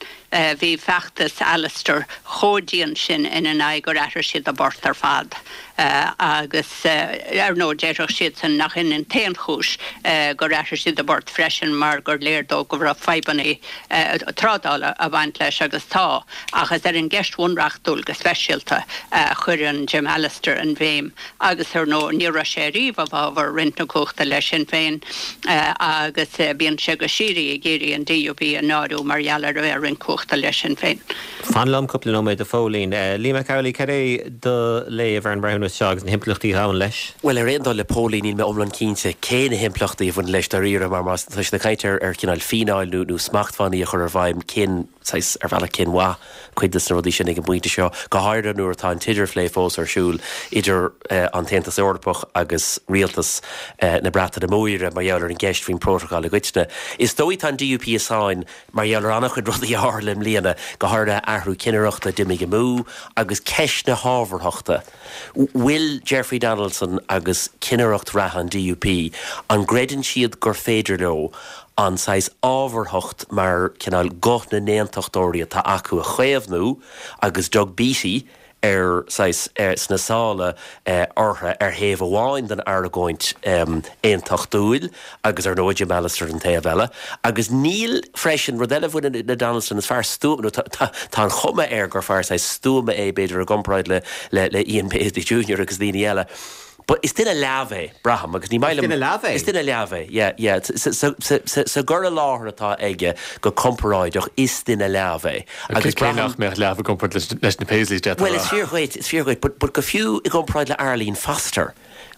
bhí feachtas Allister chomh dian sin ina n-aghaidh gur athraigh siad a bport ar fad. Agus ar ndóigh déarfadh siadsan nach in an t-aon chúis gur athraigh siad a bport freisin mar gur léir dóibh go raibh fadhbanna trádála ag baint leis agus tá, ach is ar an gceist bhunreachtúil go speisialta a chuireann Jim Allister an bhéim agus ar ndóigh ní raibh sé ariamh i bhfabhar roinnt na cumhachta le Sinn Féin agus bíonn sé go síoraí ag iarraidh an DUP a náiriú mar gheall ar a bheith ag roinnt cumhachta le Sinn Féin. Fan liom cúpla nóiméad, a Phóilín. Liam Mac Amhlaigh, cad é do léamh ar an mbreithiúnas seo agus na himpleachtaí a ghabhann leis? Bhuel, ar aon dul le Póilín, níl mé iomlán cinnte cé na himpleachtaí a bhaineann leis dáiríre, mar má tá siad ag caint ar ar chineál fíneáil nó nó smachtbhannaí a chur i bhfeidhm, cén saghas, ar bhealach, cén mhaith cuid de na rudaí sin ag an bpointe seo, go háirithe nuair atá an t-idirphlé fós ar siúl idir an tAontas Eorpach agus rialtas na Breataine Móire mar gheall ar an gceist faoin bprótacal i gcoitinne. Is dóigh tá an DUP i sáinn Mar gheall ar an-chuid rudaí a tharla i mbliana, go háirithe athrú cinnireachta a d'imigh amú agus ceist na hábharthachta. Bhfuil Jeffrey Donaldson agus cinnireacht reatha an DUP, an gcreideann siad gur féidir leo an saghas ábharthacht mar cineál guth na n-aontachtóirí atá acu a chaomhnú agus Doug Beattie ar saghas sna sála orthu ar thaobh amháin den argóint aontachtúil agus ar ndóigh Jim Allister ar an taobh eile. Agus níl freisin, rud eile a bhaineann le Donaldson, is fear stuama, nó tá an chuma air gur fear saghas stuama é b'fhéidir i gcomparáid le le Ian Paisley Junior agus daoine eile. But is duine leamh é, braithim, agus ní maith liom. Is duine leamh é? Is duine leamh é, yeah, yeah. Sa gcur i láthair atá aige go comparáideach, is duine leamh é. Agus braithim. Cé nach mbeadh leamh i gcomparáid leis na Paisleys, d'fhéadfá a rá. Bhuel, is fíor dhuit, is fíor dhuit, but, but go fiú i gcomparáid le Arlene Foster,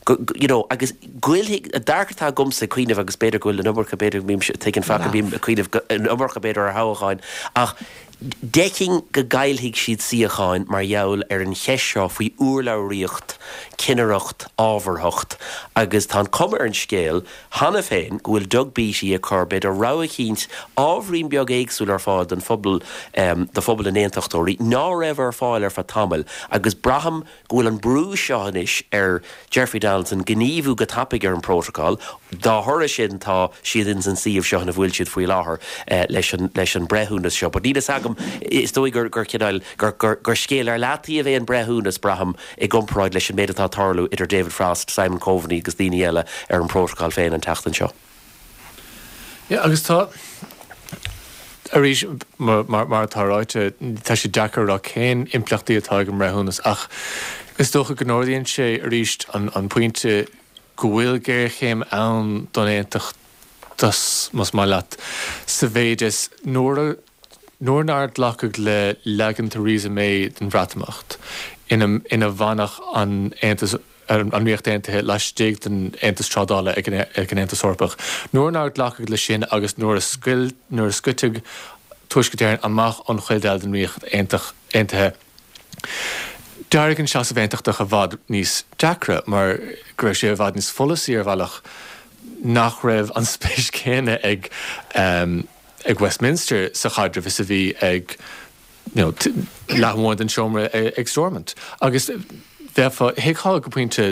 go, you know, agus goillfidh, an dearcadh atá agamsa ag cuimhneamh, agus b'fhéidir go bhfuil an iomarca, b'fhéidir go mbím, tuigeann faca, bím ag cuimhneamh an iomarca b'fhéidir ar thoghcháin, ach. D'fheicfinn go gcaillfidh siad suíocháin mar gheall ar an cheist seo faoi urlabhraíocht, cinnireacht, ábharthacht agus tá an cuma ar an scéal cheana féin go bhfuil Doug Beattie ag cur, b'fhéidir, rogha eicínt ábhairín beag éagsúil ar fáil don phobal, do phobal na nAontachtóirí, ná raibh ar fáil ar feadh tamaill agus braithim go bhfuil an brú seo anois ar Jeffrey Donaldson gníomhú go tapaidh ar an bprótacal. Dá thoradh sin tá siad ins an suíomh seo ina bhfuil siad faoi láthair leis an leis an breithiúnas seo. But níl fhios agam, is dóigh gur gur cineál gur gur gur scéal ar leataobh é an breithiúnas, braithim, i gcomparáid leis an méid atá ag tarlú idir David Frost, Simon Coveney agus daoine eile ar an bprótacal féin an tseachtain seo. Yeah, agus tá, arís, mar atá ráite, tá sé deacair a rá cén impleachtaí atá ag an mbreithiúnas ach is dócha go n-ardaíonn sé arís an pointe go bhfuil géarchéim ann don aontachtas, más maith leat, sa mhéid is nuair a nuair nár glacadh le leagan Theresa May den Bhreatimeacht ina ina bhfanfadh an Aontas an Ríocht Aontaithe laistigh den Aontas Trádála ag an Aontas Eorpach. Nuair nár glacadh leis sin agus nuair a scoil nuair a scoiteadh Tuaisceart Éireann amach ón chuid eile den Ríocht Aontaithe, d'éirigh an seasamh aontachtach i bhfad níos deacra mar go raibh sé i bhfad níos follasaí ar bhealach nach raibh an spéis chéanna ag ag Westminster sa chaidreamh is a bhí ag you know, leath amháin den seomra ag Stormont. Agus bheifeá, thuigfeá go pointe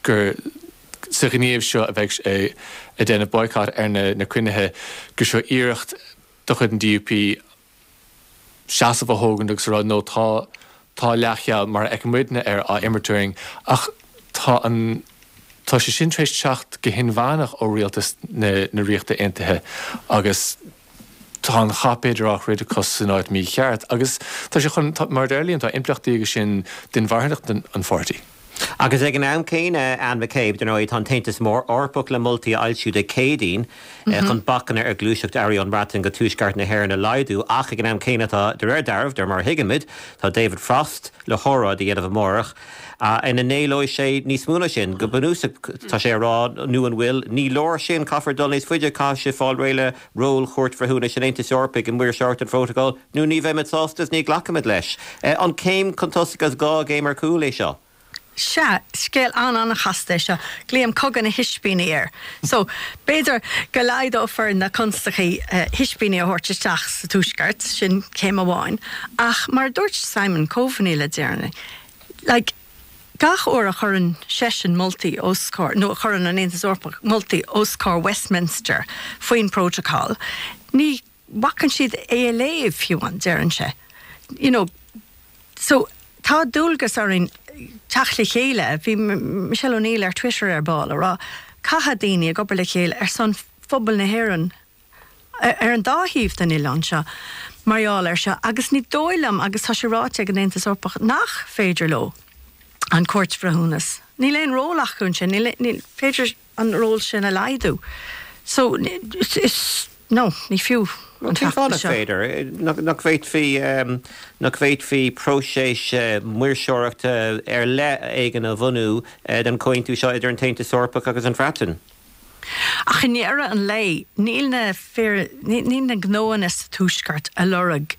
gur sa ghníomh seo a bheidh ag déanamh boycott ar na cruinnithe, gur seo iarracht de chuid an DUP seasamh a thógaint agus a rá no tá tá leathcheal mar a fheiceann muidne air á imirt orainn ach tá an tá sé sin tar éis teacht go hinmheánach ó rialtas na na Ríochta Aontaithe agus tá an cath b'fhéidir á throid acu san áit mícheart agus tá sé chun, mar a deir Liam, tá impleachtaí aige sin d'inmharthanacht an pháirtí. Agus ag an am céanna, Anne McCabe, dar ndóigh, tá an tAontas Eorpach le moltaí a fhoilsiú Dé Céadaoin chun bacanna ar ghluaiseacht earraí ón mBreatain go tuaisceart na hÉireann a laghdú ach ag an am céanna tá, de réir dealraimh, de réir mar a thuigimid, tá David Frost le hóráid a dhéanamh amárach ina n-éileoidh sé níos mó ná sin. Go bunúsach, tá sé a rá, nó an bhfuil, ní leor sin, caithfear dul níos faide, caithfidh sibh fáil réidh le ról Chúirt Bhreithiúnais an Aontais Eorpaigh i maoirseoireacht an Phrótacail, nó ní bheimid sásta is ní ghlacfaimid leis. An céim chun tosaigh agus gá gcéim ar cúl é seo? Sea, scéal an-an-chasta é seo. Glaoim cogadh na hispíní air. So, b'fhéidir go laghdófar na constaicí hispíní a thabhairt isteach sa Tuaisceart, sin céim amháin. Ach mar a dúirt Simon Coveney le deireanas, like, gach uair a chuireann seisean moltaí os comhair, nó a chuireann an Aontas Eorpach moltaí os comhair Westminster faoin bprótacal, ní bhacann siad é a léamh fiú amháin, deireann sé. You know, so tá dualgas orainn teacht le chéile. Bhí Michelle O'Neill ar Twitter ar ball ag rá, caithfidh daoine ag obair le chéile ar son phobal na hÉireann ar an dá thaobh den oileán seo mar gheall air seo agus ní dóigh liom, agus tá sé ráite ag an Aontas Eorpach, nach féidir leo an Cúirt Bhreithiúnas, níl aon ról acu ansin, níl, ní féidir an ról sin a laghdú. So, is, no, ní fiú an Cén fáth feachtas nach seo. féidir? Nach bhféadfaí, nach bhféadfaí próiseas maoirseoireachta ar leith éigin a bhunú don chomhaontú seo idir an tAontas Eorpach agus an Bhreatain? Ach i ndeireadh an lae, níl na fir, níl na gnóanna sa Tuaisceart a lorg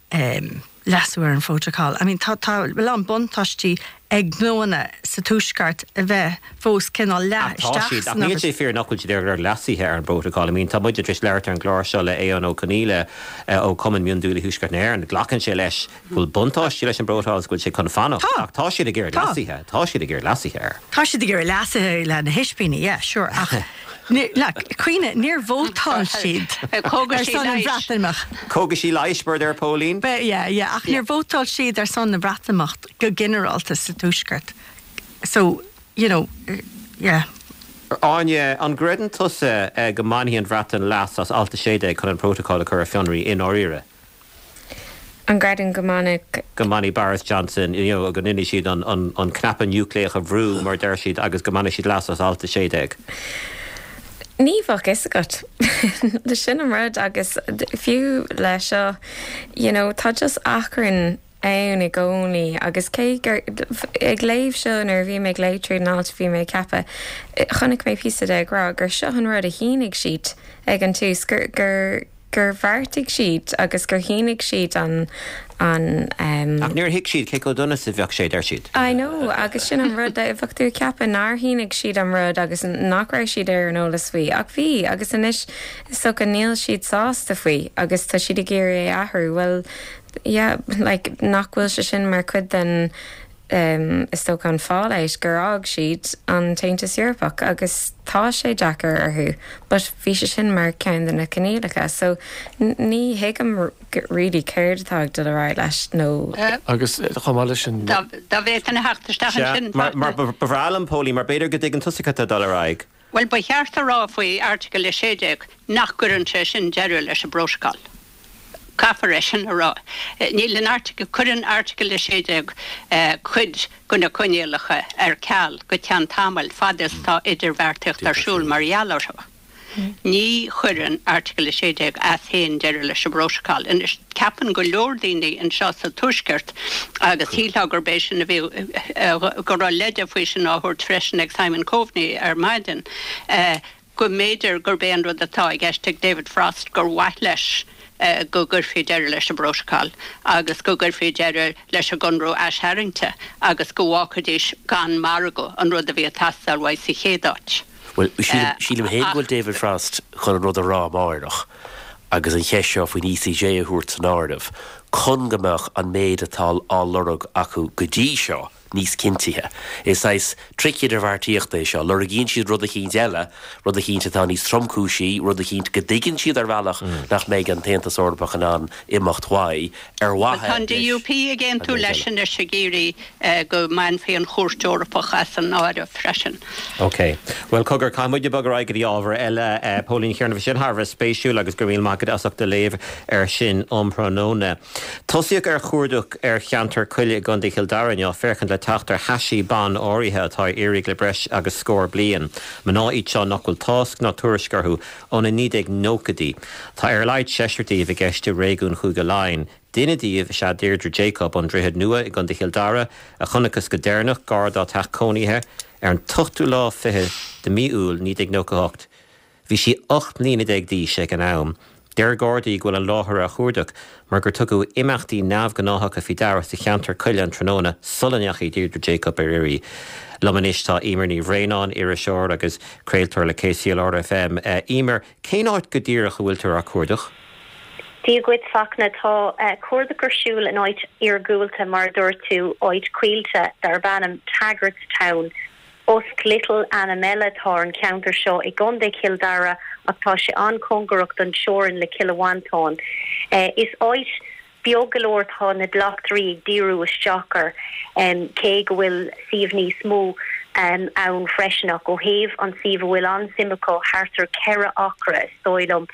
leasú ar an phrótacal. I mean, tá, tá a lán buntáistí ag gnóanna sa Tuaisceart a bheith fós cineál leath Ach tá isteach siad, ach san níl obair. sé fíor nach bhfuil siad ag lorg leasuithe ar an bprótacal. I mean, tá muide tar éis labhairt ar an gclár seo le Aodhán Ó Conghaile ó Chumann Miondíola Thuaisceart na hÉireann. Glacann sé leis go bhfuil buntáistí leis an bprótacal agus go bhfuil sé chun fanacht. Tá. Ach tá siad ag iarraidh Tá. leasuithe. Tá siad ag iarraidh leasuithe air. Tá siad ag iarraidh leasuithe le na hispíní, yeah, sure, ach like, cuimhnigh, níor vótáil siad ar son an Bhreatimeacht. Cógaisí leighis, mar a deir Póilín. Yeah, yeah, ach níor vótáil siad ar son na Breatimeacht go ginearálta sa Tuaisceart. So, you know, yeah. Áine, an gcreideann tusa go mbainfidh an Bhreatain leas as Alt 16 chun an Prótacal a chur ar fionraí i ndáiríre? An gcreidim go mbainfidh. go mbainfidh Boris Johnson, you know, go ndéanfaidh siad an, an, an cnaipe núicléach a bhrú, mar a deir siad, agus go mbainfidh siad leas as Alt 16. Ní bheadh fhios agat. Sin an rud agus fiú le seo, you know, tá just achrann ann i gcónaí agus cé gur, ag léamh seo nuair a bhí mé ag léamh tríd an alt bhí mé ag ceapadh, chonaic mé píosa de ag rá gur seo an rud a shínigh siad ag an tús, gur, gur. gur bheartaigh siad agus gur shínigh siad an, an ehm. Ach níor thuig siad cé chomh dona is a bheadh sé, deir siad. I know, agus sin an rud, bheadh tú ag ceapadh nár shínigh siad an rud agus nach raibh siad ar an eolas faoi, ach bhí, agus anois is dócha níl siad sásta faoi agus tá siad ag iarraidh é a athrú, bhuel, yeah, like, nach bhfuil sé sin mar chuid den, is dócha an fallout gur fhág siad an tAontas Eorpach agus tá sé deacair orthu but bhí sé sin mar ceann de na coinníollacha so ní thuigim really céard atá ag dul ar aghaidh leis nó Agus chomh maith leis sin. Dá bhféadfainn a theacht isteach ansin, Sea, mar ba bhreá liom, Póilín, mar b'fhéidir go dtuigeann tusa cad tá ag dul ar aghaidh. Bhuel, ba cheart a rá faoi Airteagal 16 nach gcuireann sé sin deireadh leis an bprótacal. Caithfear é sin a rá. Níl in Airteagal, cuireann Airteagal 16 cuid de na coinníollacha ar ceal go ceann tamaill fad is atá idirbheartaíocht ar siúl mar gheall orthu. Ní chuireann Airteagal 16 as féin deireadh leis an bprótacal. Anois, ceapann go leor daoine anseo sa Tuaisceart, agus shílfeá gurb é sin a bhí, go raibh leide faoi sin á thabhairt freisin ag Simon Coveney ar maidin, go mb'fhéidir gurb é an rud atá i gceist ag David Frost gur mhaith leis go gcuirfí deireadh leis an bprótacal agus go gcuirfí deireadh leis an gconradh aistharraingte agus go bhfágfaidís gan margadh, an rud a bhí ag teastáil uaidh sa chéad áit. Bhuel, sílim féin go bhfuil David Frost chun an rud a rá amáireach agus an cheist seo faoin ECJ a thabhairt san áireamh chun go mbeadh an méid atá á lorg acu go dtí seo níos cinntithe. Is saghas tric idirbheartaíochta é seo. Lorgaíonn siad rud eicínt eile, rud eicínt atá níos tromchúisí, rud eicínt go dtuigeann siad ar bhealach nach mbeidh an tAontas Eorpach in ann imeacht uaidh ar mhaithe Tá an DUP ag aontú leis anois ag iarraidh go mbainfí an Chúirt Eorpach as an áireamh freisin. Ok. Bhuel, cogar, caithfidh muid bogadh ar aghaidh go dtí ábhar eile. Póilín Kiernan, bhí sin thar a bheith spéisiúil agus go raibh míle maith agat as ucht do léamh air sin um thráthnóna. Tosaíodh ar chuardach ar cheantar coille i gContae Chill Dara inniu féachaint le teacht ar thaisí ban áirithe atá ar iarraidh le breis agus scór bliain. Mná iad seo nach bhfuil tásc ná tuairisc orthu ó na 1990idí. Tá ar a laghad seisear díobh i gceist i réigiún Chúige Laighean. Duine díobh is ea Deirdre Jacob ón Droichead Nua i gContae Chill Dara, a chonacthas go deireanach gar dá teach cónaithe ar an t-ochtú lá fichead de mhí Iúil 1998. Bhí sí 18 mbliana d'aois ag an am. Deir Gardaí go bhfuil an láthair á chuardach mar gur tugadh imeachtaí neamhghnáthacha faoi deara sa cheantar coille an tráthnóna sula ndeachaigh Deirdre Jacob ar iarraidh. Liom anois tá Eimear Ní Bhraonáin, iriseoir agus craoltóir le KCLR FM. Eimear, cén áit go díreach a bhfuiltear á cuardach? Dia dhuit, Fachtna. Tá cuardach ar siúl in áit iargúlta, mar a dúirt tú, áit coillte darb ainm Tagartstown. Usk Little ainm eile atá ar an cheantar seo i gContae Chill Dara ach tá sé an-chóngarach don teorainn le Cill Mhantáin. Is áit beag go leor atá na bleachtairí ag díriú isteach air cé go bhfuil suíomh níos mó ann freisin ach ó thaobh an suíomh a bhfuil an-suim acu thart ar 4 acra is dóigh liom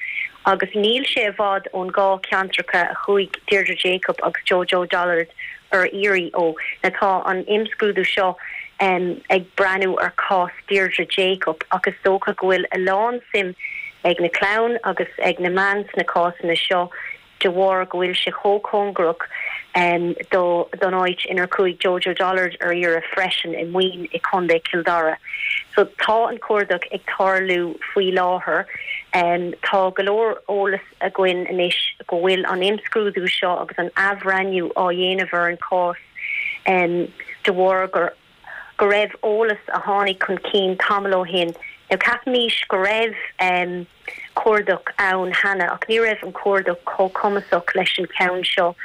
agus níl sé i bhfad ón dhá cheantracha a chuaigh Deirdre Jacob agus Jojo Dollard ar iarraidh ó. Now tá an imscrúdú seo ag breathnú ar chás Deirdre Jacob ach is dócha go bhfuil a lán suim ag na clann agus ag na meáin sna cásanna seo de bharr go bhfuil sé chomh cóngarach do don áit inar chuaigh Jojo Dollard ar iarraidh freisin i Maoin i Contae Chill Dara. So tá an cuardach ag tarlú faoi láthair. Tá go leor eolas againn anois go bhfuil an imscrúdú seo agus an athbhreithniú á dhéanamh ar an chás de bharr gur go raibh eolas a tháinig chun cinn tamall ó shin. Now ceapaimís go raibh cuardach ann cheana ach ní raibh an cuardach chomh cumasach leis an cheann seo.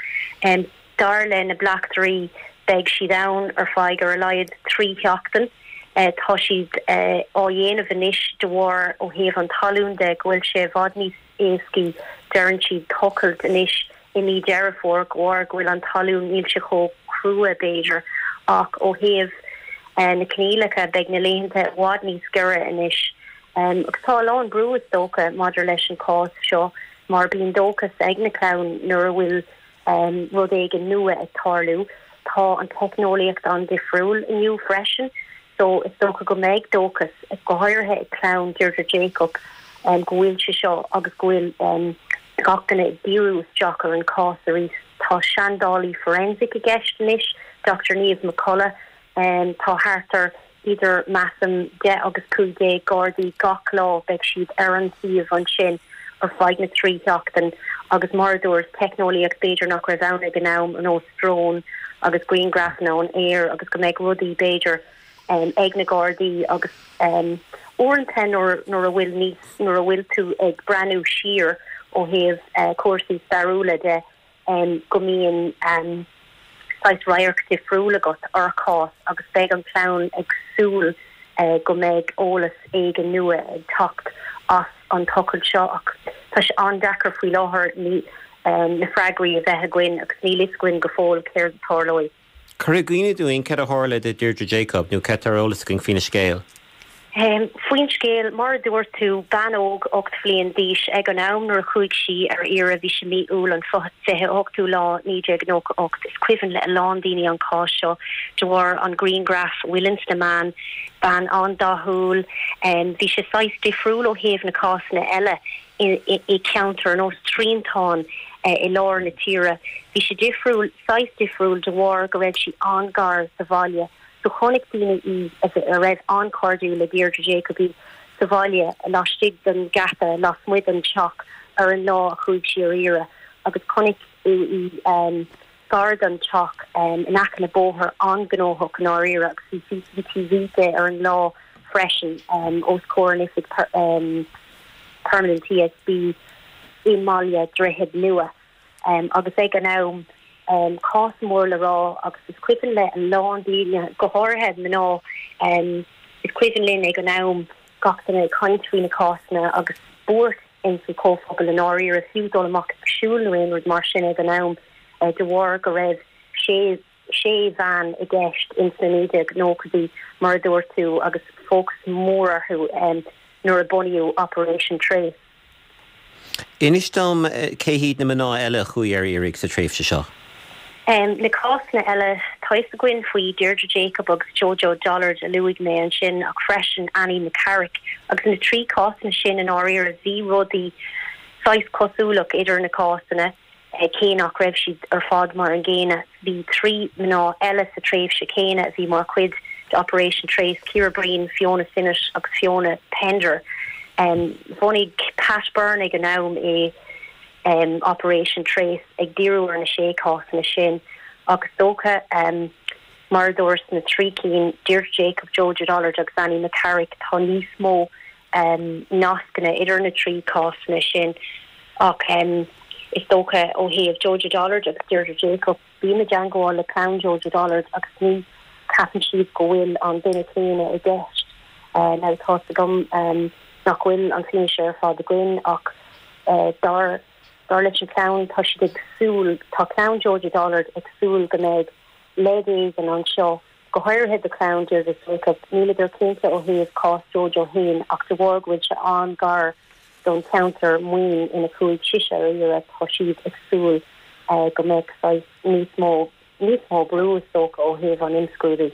Dar le na bleachtairí beidh siad ann ar feadh ar a laghad 3 sheachtain. Tá siad á dhéanamh anois de bharr ó thaobh an talún de go bhfuil sé i bhfad níos éascaí deireann siad tochailt anois i mí Deireadh Fómhair de bharr go bhfuil an talún níl sé chomh crua b'fhéidir ach ó thaobh na coinníollacha beidh na laethanta i bhfad níos giorra anois. Agus tá a lán brú is dócha maidir leis an chás seo mar bíonn dóchas ag na clann nuair a bhfuil rud éigin nua ag tarlú. Tá an teicneolaíocht an-difriúil inniu freisin so is dócha go mbeidh dóchas, go háirithe ag clann Deirdre Jacob, go bhfuil sé seo agus go bhfuil gach duine ag díriú isteach ar an chás arís. Tá seandálaí forensic i gceist anois, Dr Niamh McCullough. Tá thart ar idir, measaim, 10 agus 15 Gardaí gach lá, beidh siad ar an suíomh ansin. ar feadh na dtrí sheachtain agus mar a dúras, teicneolaíocht b'fhéidir nach raibh ann ag an am, ar nós drón agus grianghrafanna ón aer agus go mbeidh rudaí b'fhéidir ag na Gardaí agus uaireanta nuair nuair a bhfuil níos nuair a bhfuil tú ag breathnú siar ó thaobh cúrsaí stairiúla de go mbíonn saghas radharc difriúil agat ar chás agus beidh an chlann ag súil go mbeidh eolas éigin nua ag teacht as an tochailt seo ach tá sé an-deacair faoi láthair na freagraí a bheith againn agus níl fhios againn go fóill céard a tarlóidh. Cuir i gcuimhne dúinn céard a tharla do Deirdre Jacob nó céard atá ar eolas againn faoina scéal. Faoin scéal, mar a dúirt tú, bean óg 8 bhliain d'aois ag an am nuair a chuaigh sí ar iarraidh, bhí sé mí Iúil an 28ú lá 1998. Is cuimhin le a lán daoine an cás seo de bharr an grianghraf a bhfuil ins na meáin, bean an-dathúil. Bhí sé saghas difriúil ó thaobh na cásanna eile i ceantar ar nós triantán i lár na tíre. Bhí sé difriúil, saghas difriúil de bharr go raibh sí an-gar do bhaile. So chonaic daoine í, a raibh an-chairdiúil le Deirdre Jacob í, sa bhaile laistigh den gheata lasmuigh den teach ar an lá a chuaigh sí ar iarraidh agus chonaic í gar don teach in aice le bóthar an-ghnóthach i ndáiríre agus bhí CCTV de ar an lá freisin os comhair an oifig Permanent TSB i mBaile Droichead Nua. Agus ag an am, cás mór le rá agus is cuimhin le a lán daoine, go háirithe mná, is cuimhin linn ag an am gach duine ag caint faoi na cásanna agus buairt ins an chomhphobal i ndáiríre, fiú dul amach ag siúl nó aon rud mar sin ag an am de bharr go raibh sé sé bhean i gceist ins na 1990idí mar a dúirt tú agus fócas mór orthu nuair a bunaíodh Operation Trace. Inis dom cé hiad na mná eile a chuaigh ar iarraidh sa tréimhse seo? Na cásanna eile, tá fhios againn faoi Deirdre Jacob agus Jojo Dollard a luaigh mé ansin ach freisin Annie McCarrick agus na trí cásanna sin i ndáiríre bhí rudaí saghas cosúlach idir na cásanna. Cé nach raibh siad ar fad mar an gcéanna, bhí 3 mná eile sa tréimhse chéanna a bhí mar chuid de Operation Trace, Ciara Breen, Fiona Sinnott agus Fiona Pender. Bhunaigh Pat Byrne ag an am é Operation Trace ag díriú ar na sé cásanna sin ach is dócha, mar a dúras, na trí cinn, Deirdre Jacob, Jojo Dollard agus Annie McCarrick, tá níos mó nascanna idir na trí cásanna sin ach is dócha ó thaobh Jojo Dollard agus Deirdre Jacob, bím i dteangmháil le clann Jojo Dollard agus ní ceapann siad go bhfuil an duine céanna i gceist. Now tá's agam nach bhfuil an fianaise ar fad againn ach dar dar leis an chlann tá siad ag súil, tá clann Jojo Dollard ag súil go mbeidh leid éigin anseo Go háirithe do chlann Deirdre Jacob, níleadar cinnte ó thaobh cás Jojo féin ach de bharr go bhfuil sé an-gar don cheantar maoin ina chuaigh sise ar iarraidh, tá siad ag súil go mbeidh saghas níos mó, níos mó brú is dócha ó thaobh an imscrúdú.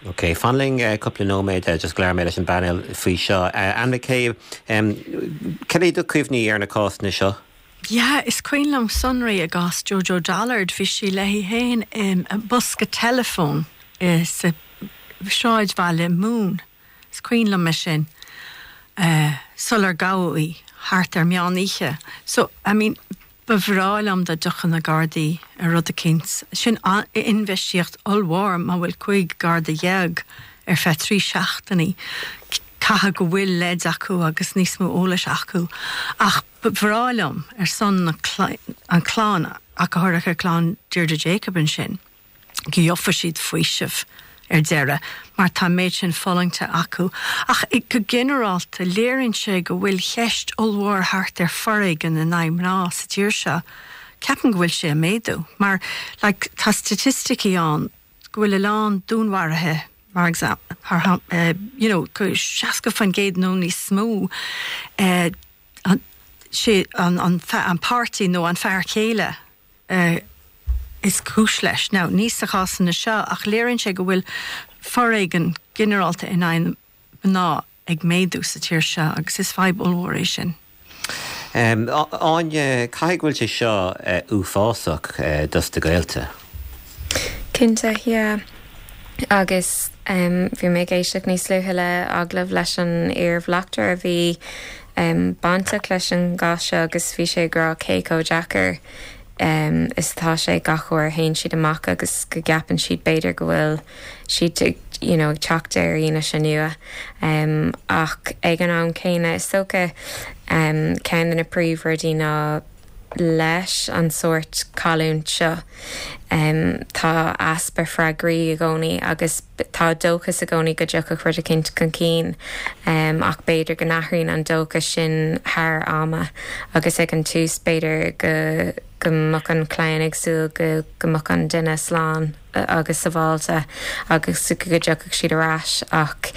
Ok, fan linn cúpla nóiméad, just go labhróidh mé leis an bpainéal faoi seo. Anne McCabe, cad é do chuimhní ar na cásanna seo? Yeah, is cuimhin liom sonraí i gcás Jojo Dollard, bhí sí léi féin i mbosca teileafóin sa sráidbhaile Moone, is cuimhin liom é sin, sular gabhadh í, thart ar meán oíche. So, I mean, ba bhreá liom dá dtiocfadh na Gardaí ar rud eicínt. Sin infheistíocht ollmhór má bhfuil 15 Garda ar feadh 3 seachtainí. Caithfidh go bhfuil leid acu agus níos mó eolais acu. Ach Ba bhreá liom, ar son na an clann, ach go háirithe clann Deirdre Jacob ansin, go gheofa siad faoiseamh ar deireadh, mar tá an méid sin fulaingte acu. Ach go ginearálta, léiríonn sé go bhfuil ceist ollmhór thart ar foréigean in aghaidh mná sa tír seo. Ceapaim go bhfuil sé ag méadú, mar like tá staitisticí ann go bhfuil a lán dúnmharuithe, mar you know, 60% nó níos mó, sé an páirtí nó an fear céile is cúis leis. Now, ní sa chásanna seo, ach léiríonn sé go bhfuil foréigean ginearálta in aghaidh mná ag méadú sa tír seo agus is fadhb ollmhór é sin. Áine, caithfidh go bhfuil sé seo uafásach dos do ghaolta? Cinnte, yeah. Agus bhí mé ag éisteacht níos luaithe le agallamh leis an iar-bhleachtaire a bhí. bainteach leis an gcás seo agus bhí sé ag rá cé chomh deacair is atá sé gach uair a théann siad amach agus go gceapann siad b'fhéidir go bhfuil siad ag you know ag teacht ar fhianaise nua. Ach ag an am céanna is dócha ceann de na príomhrudaí ná leis an sórt cailliúint seo tá easpa freagraí i gcónaí agus tá dóchas i gcónaí go dtiocfadh rud eicínt chun cinn ach b'fhéidir go n-athraíonn an dóchas sin thar ama agus ag an tús b'fhéidir go go mbeadh an chlann ag súil go go mbeadh an duine slán. agus sabháilte agus go dtiocfadh siad ar ais ach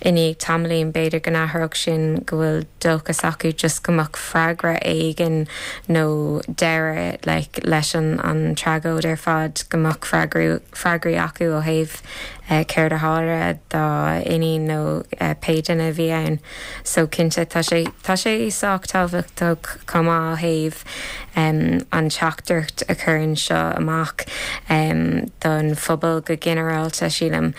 i ndiaidh tamaillín b'fhéidir go n-athródh sin go bhfuil dóchas acu just go mbeadh freagra éigin nó deireadh like leis an an tragóid ar fad go mbeadh freagraí freagraí acu ó thaobh céard a tharla dá iníon nó pé duine a bhí ann. So cinnte tá sé tá sé sách tábhachtach chomh maith ó thaobh an teachtaireacht a chuireann seo amach don phobal go ginearálta, sílim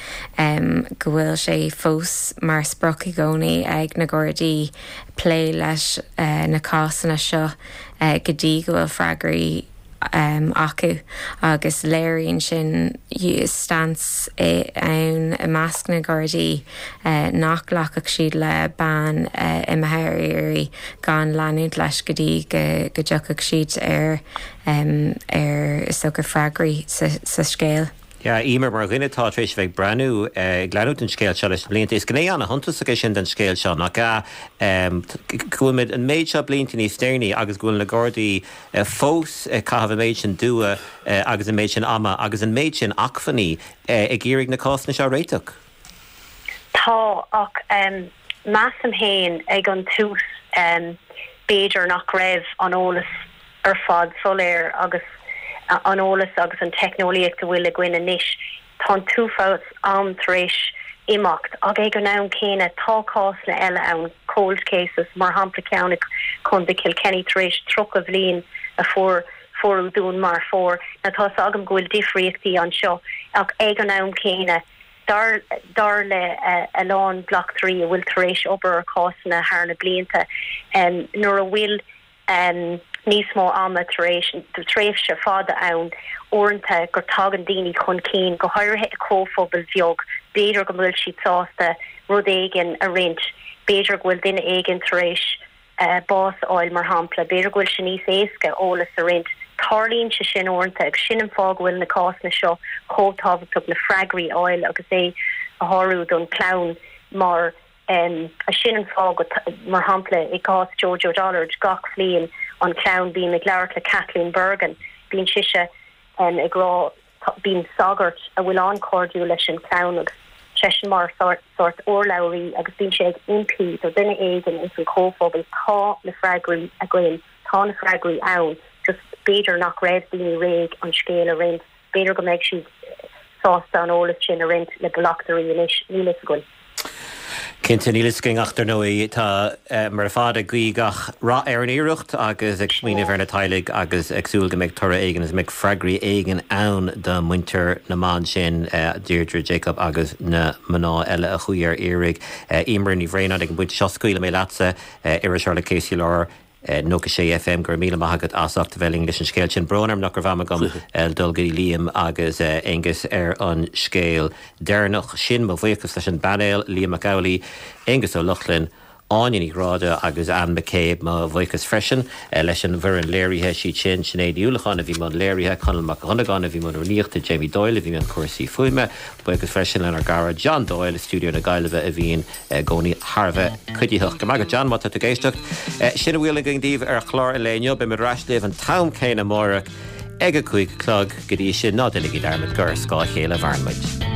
go bhfuil sé fós mar sprioc i gcónaí ag na Gardaí plé leis na cásanna seo go dtí go bhfuil freagraí acu agus léiríonn sin stance ann i measc na Gardaí nach nglacfadh siad le bean imithe ar iarraidh gan leanúint leis go dtí go dtiocfadh siad ar ar is dócha freagraí sa scéal. Yeah, Emer, mar dhuine atá tar éis a bheith ag breathnú, ag leanúint an scéil seo leis na blianta, is gné an-shuntasach é sin den scéal seo, nach ea? Go bhfuil muid an méid seo blianta níos deireanaí agus go bhfuil na Gardaí fós ag caitheamh an méid sin dua agus an méid sin ama agus an méid sin acmhainní ag iarraidh na cásanna seo a réiteach. Tá, ach measaim féin ag an tús b'fhéidir nach raibh an eolas ar fad soiléir agus an eolas agus an teicneolaíocht a bhfuil againn anois. Tá an t-uafás am tar éis imeacht ach ag an am céanna tá cásanna eile ann, cold cases, mar shampla ceann i Contae Kilkenny tar éis 30 bhliain a fuair fuaireadh dúnmharfóir. Now tá 's agam go bhfuil difríochtaí anseo ach ag an am céanna dar dar le a lán bleachtairí a bhfuil tar éis obair ar chásanna thar na blianta nuair a bhfuil níos mó ama tar éis tréimhse fada ann uaireanta gur tagann daoine chun cinn, go háirithe i comhphobail bheag, b'fhéidir go bhfuil siad sásta rud éigin a roinnt, b'fhéidir go bhfuil duine éigin tar éis bás a fháil, mar shampla, b'fhéidir go bhfuil sé níos éasca eolas a roinnt. Tarlaíonn sé sin uaireanta agus sin an fáth go bhfuil na cásanna seo chomh tábhachtach, na freagraí a fháil agus é a shárú don chlann mar. Sin an fáth go, mar shampla, i gcás Jojo Dollard, gach bhliain an chlann, bím ag labhairt le Kathleen Bergin, bíonn sise ag rá, bíonn sagart a bhfuil an-chairdiúil leis an chlann agus seisean mar sórt urlabhraí agus bíonn sé ag impí do dhuine éigin ins an chomhphobal, tá na freagraí againn, tá na freagraí ann, just b'fhéidir nach raibh daoine réidh an scéal a roinnt. B'fhéidir go mbeidh siad sásta an eolas sin a roinnt le bleachtairí anois, níl fhios againn. Cinnte, níl fhios againn ach dar ndóigh tá muid ar fad ag guí gach rath ar an iarracht agus ag smaoineamh ar na teaghlaigh agus ag súil go mbeidh toradh éigin agus go mbeidh freagraí éigin ann do mhuintir na mban sin, Deirdre Jacob agus na mná eile a chuaigh ar iarraidh. Emer Ní Bhraonáin, ag an bpointe seo scaoilfidh mé leatsa, iriseoir le KCLR. 96 FM, Go raibh míle maith agat as ucht a bheith linn leis an scéal sin. Brón orm nach raibh am agam dul go dtí Liam agus Aengus ar an scéal deireanach sin. Mo bhuíochas leis an bpainéal, Liam Mac Amhlaigh, Aengus Ó Lochlainn, Áine Ní Ghráda agus Anne McCabe. Mo bhuíochas freisin leis an bhfoireann léirithe, siad sin, Sinéad Ní Uallacháin a bhí i mbun léirithe, Conall Mac Dhonnagáin a bhí i mbun rúnaíochta, Jamie Doyle a bhí i mbun cúrsaí fuaime. Buíochas freisin lenár gcara John Doyle i stiúideo na Gaillimhe a bhíonn i gcónaí thar a bheith cuiditheach. Go raibh maith agat John, má tá tú ag éisteacht. Sin a bhfuil againn daoibh ar chlár an lae inniu. Beimid ar ais libh an t-am céanna amárach ag a 5 a chlog. Go dtí sin, ná déanaigí dearmad gur ar scáth a chéile a mhaireann muid.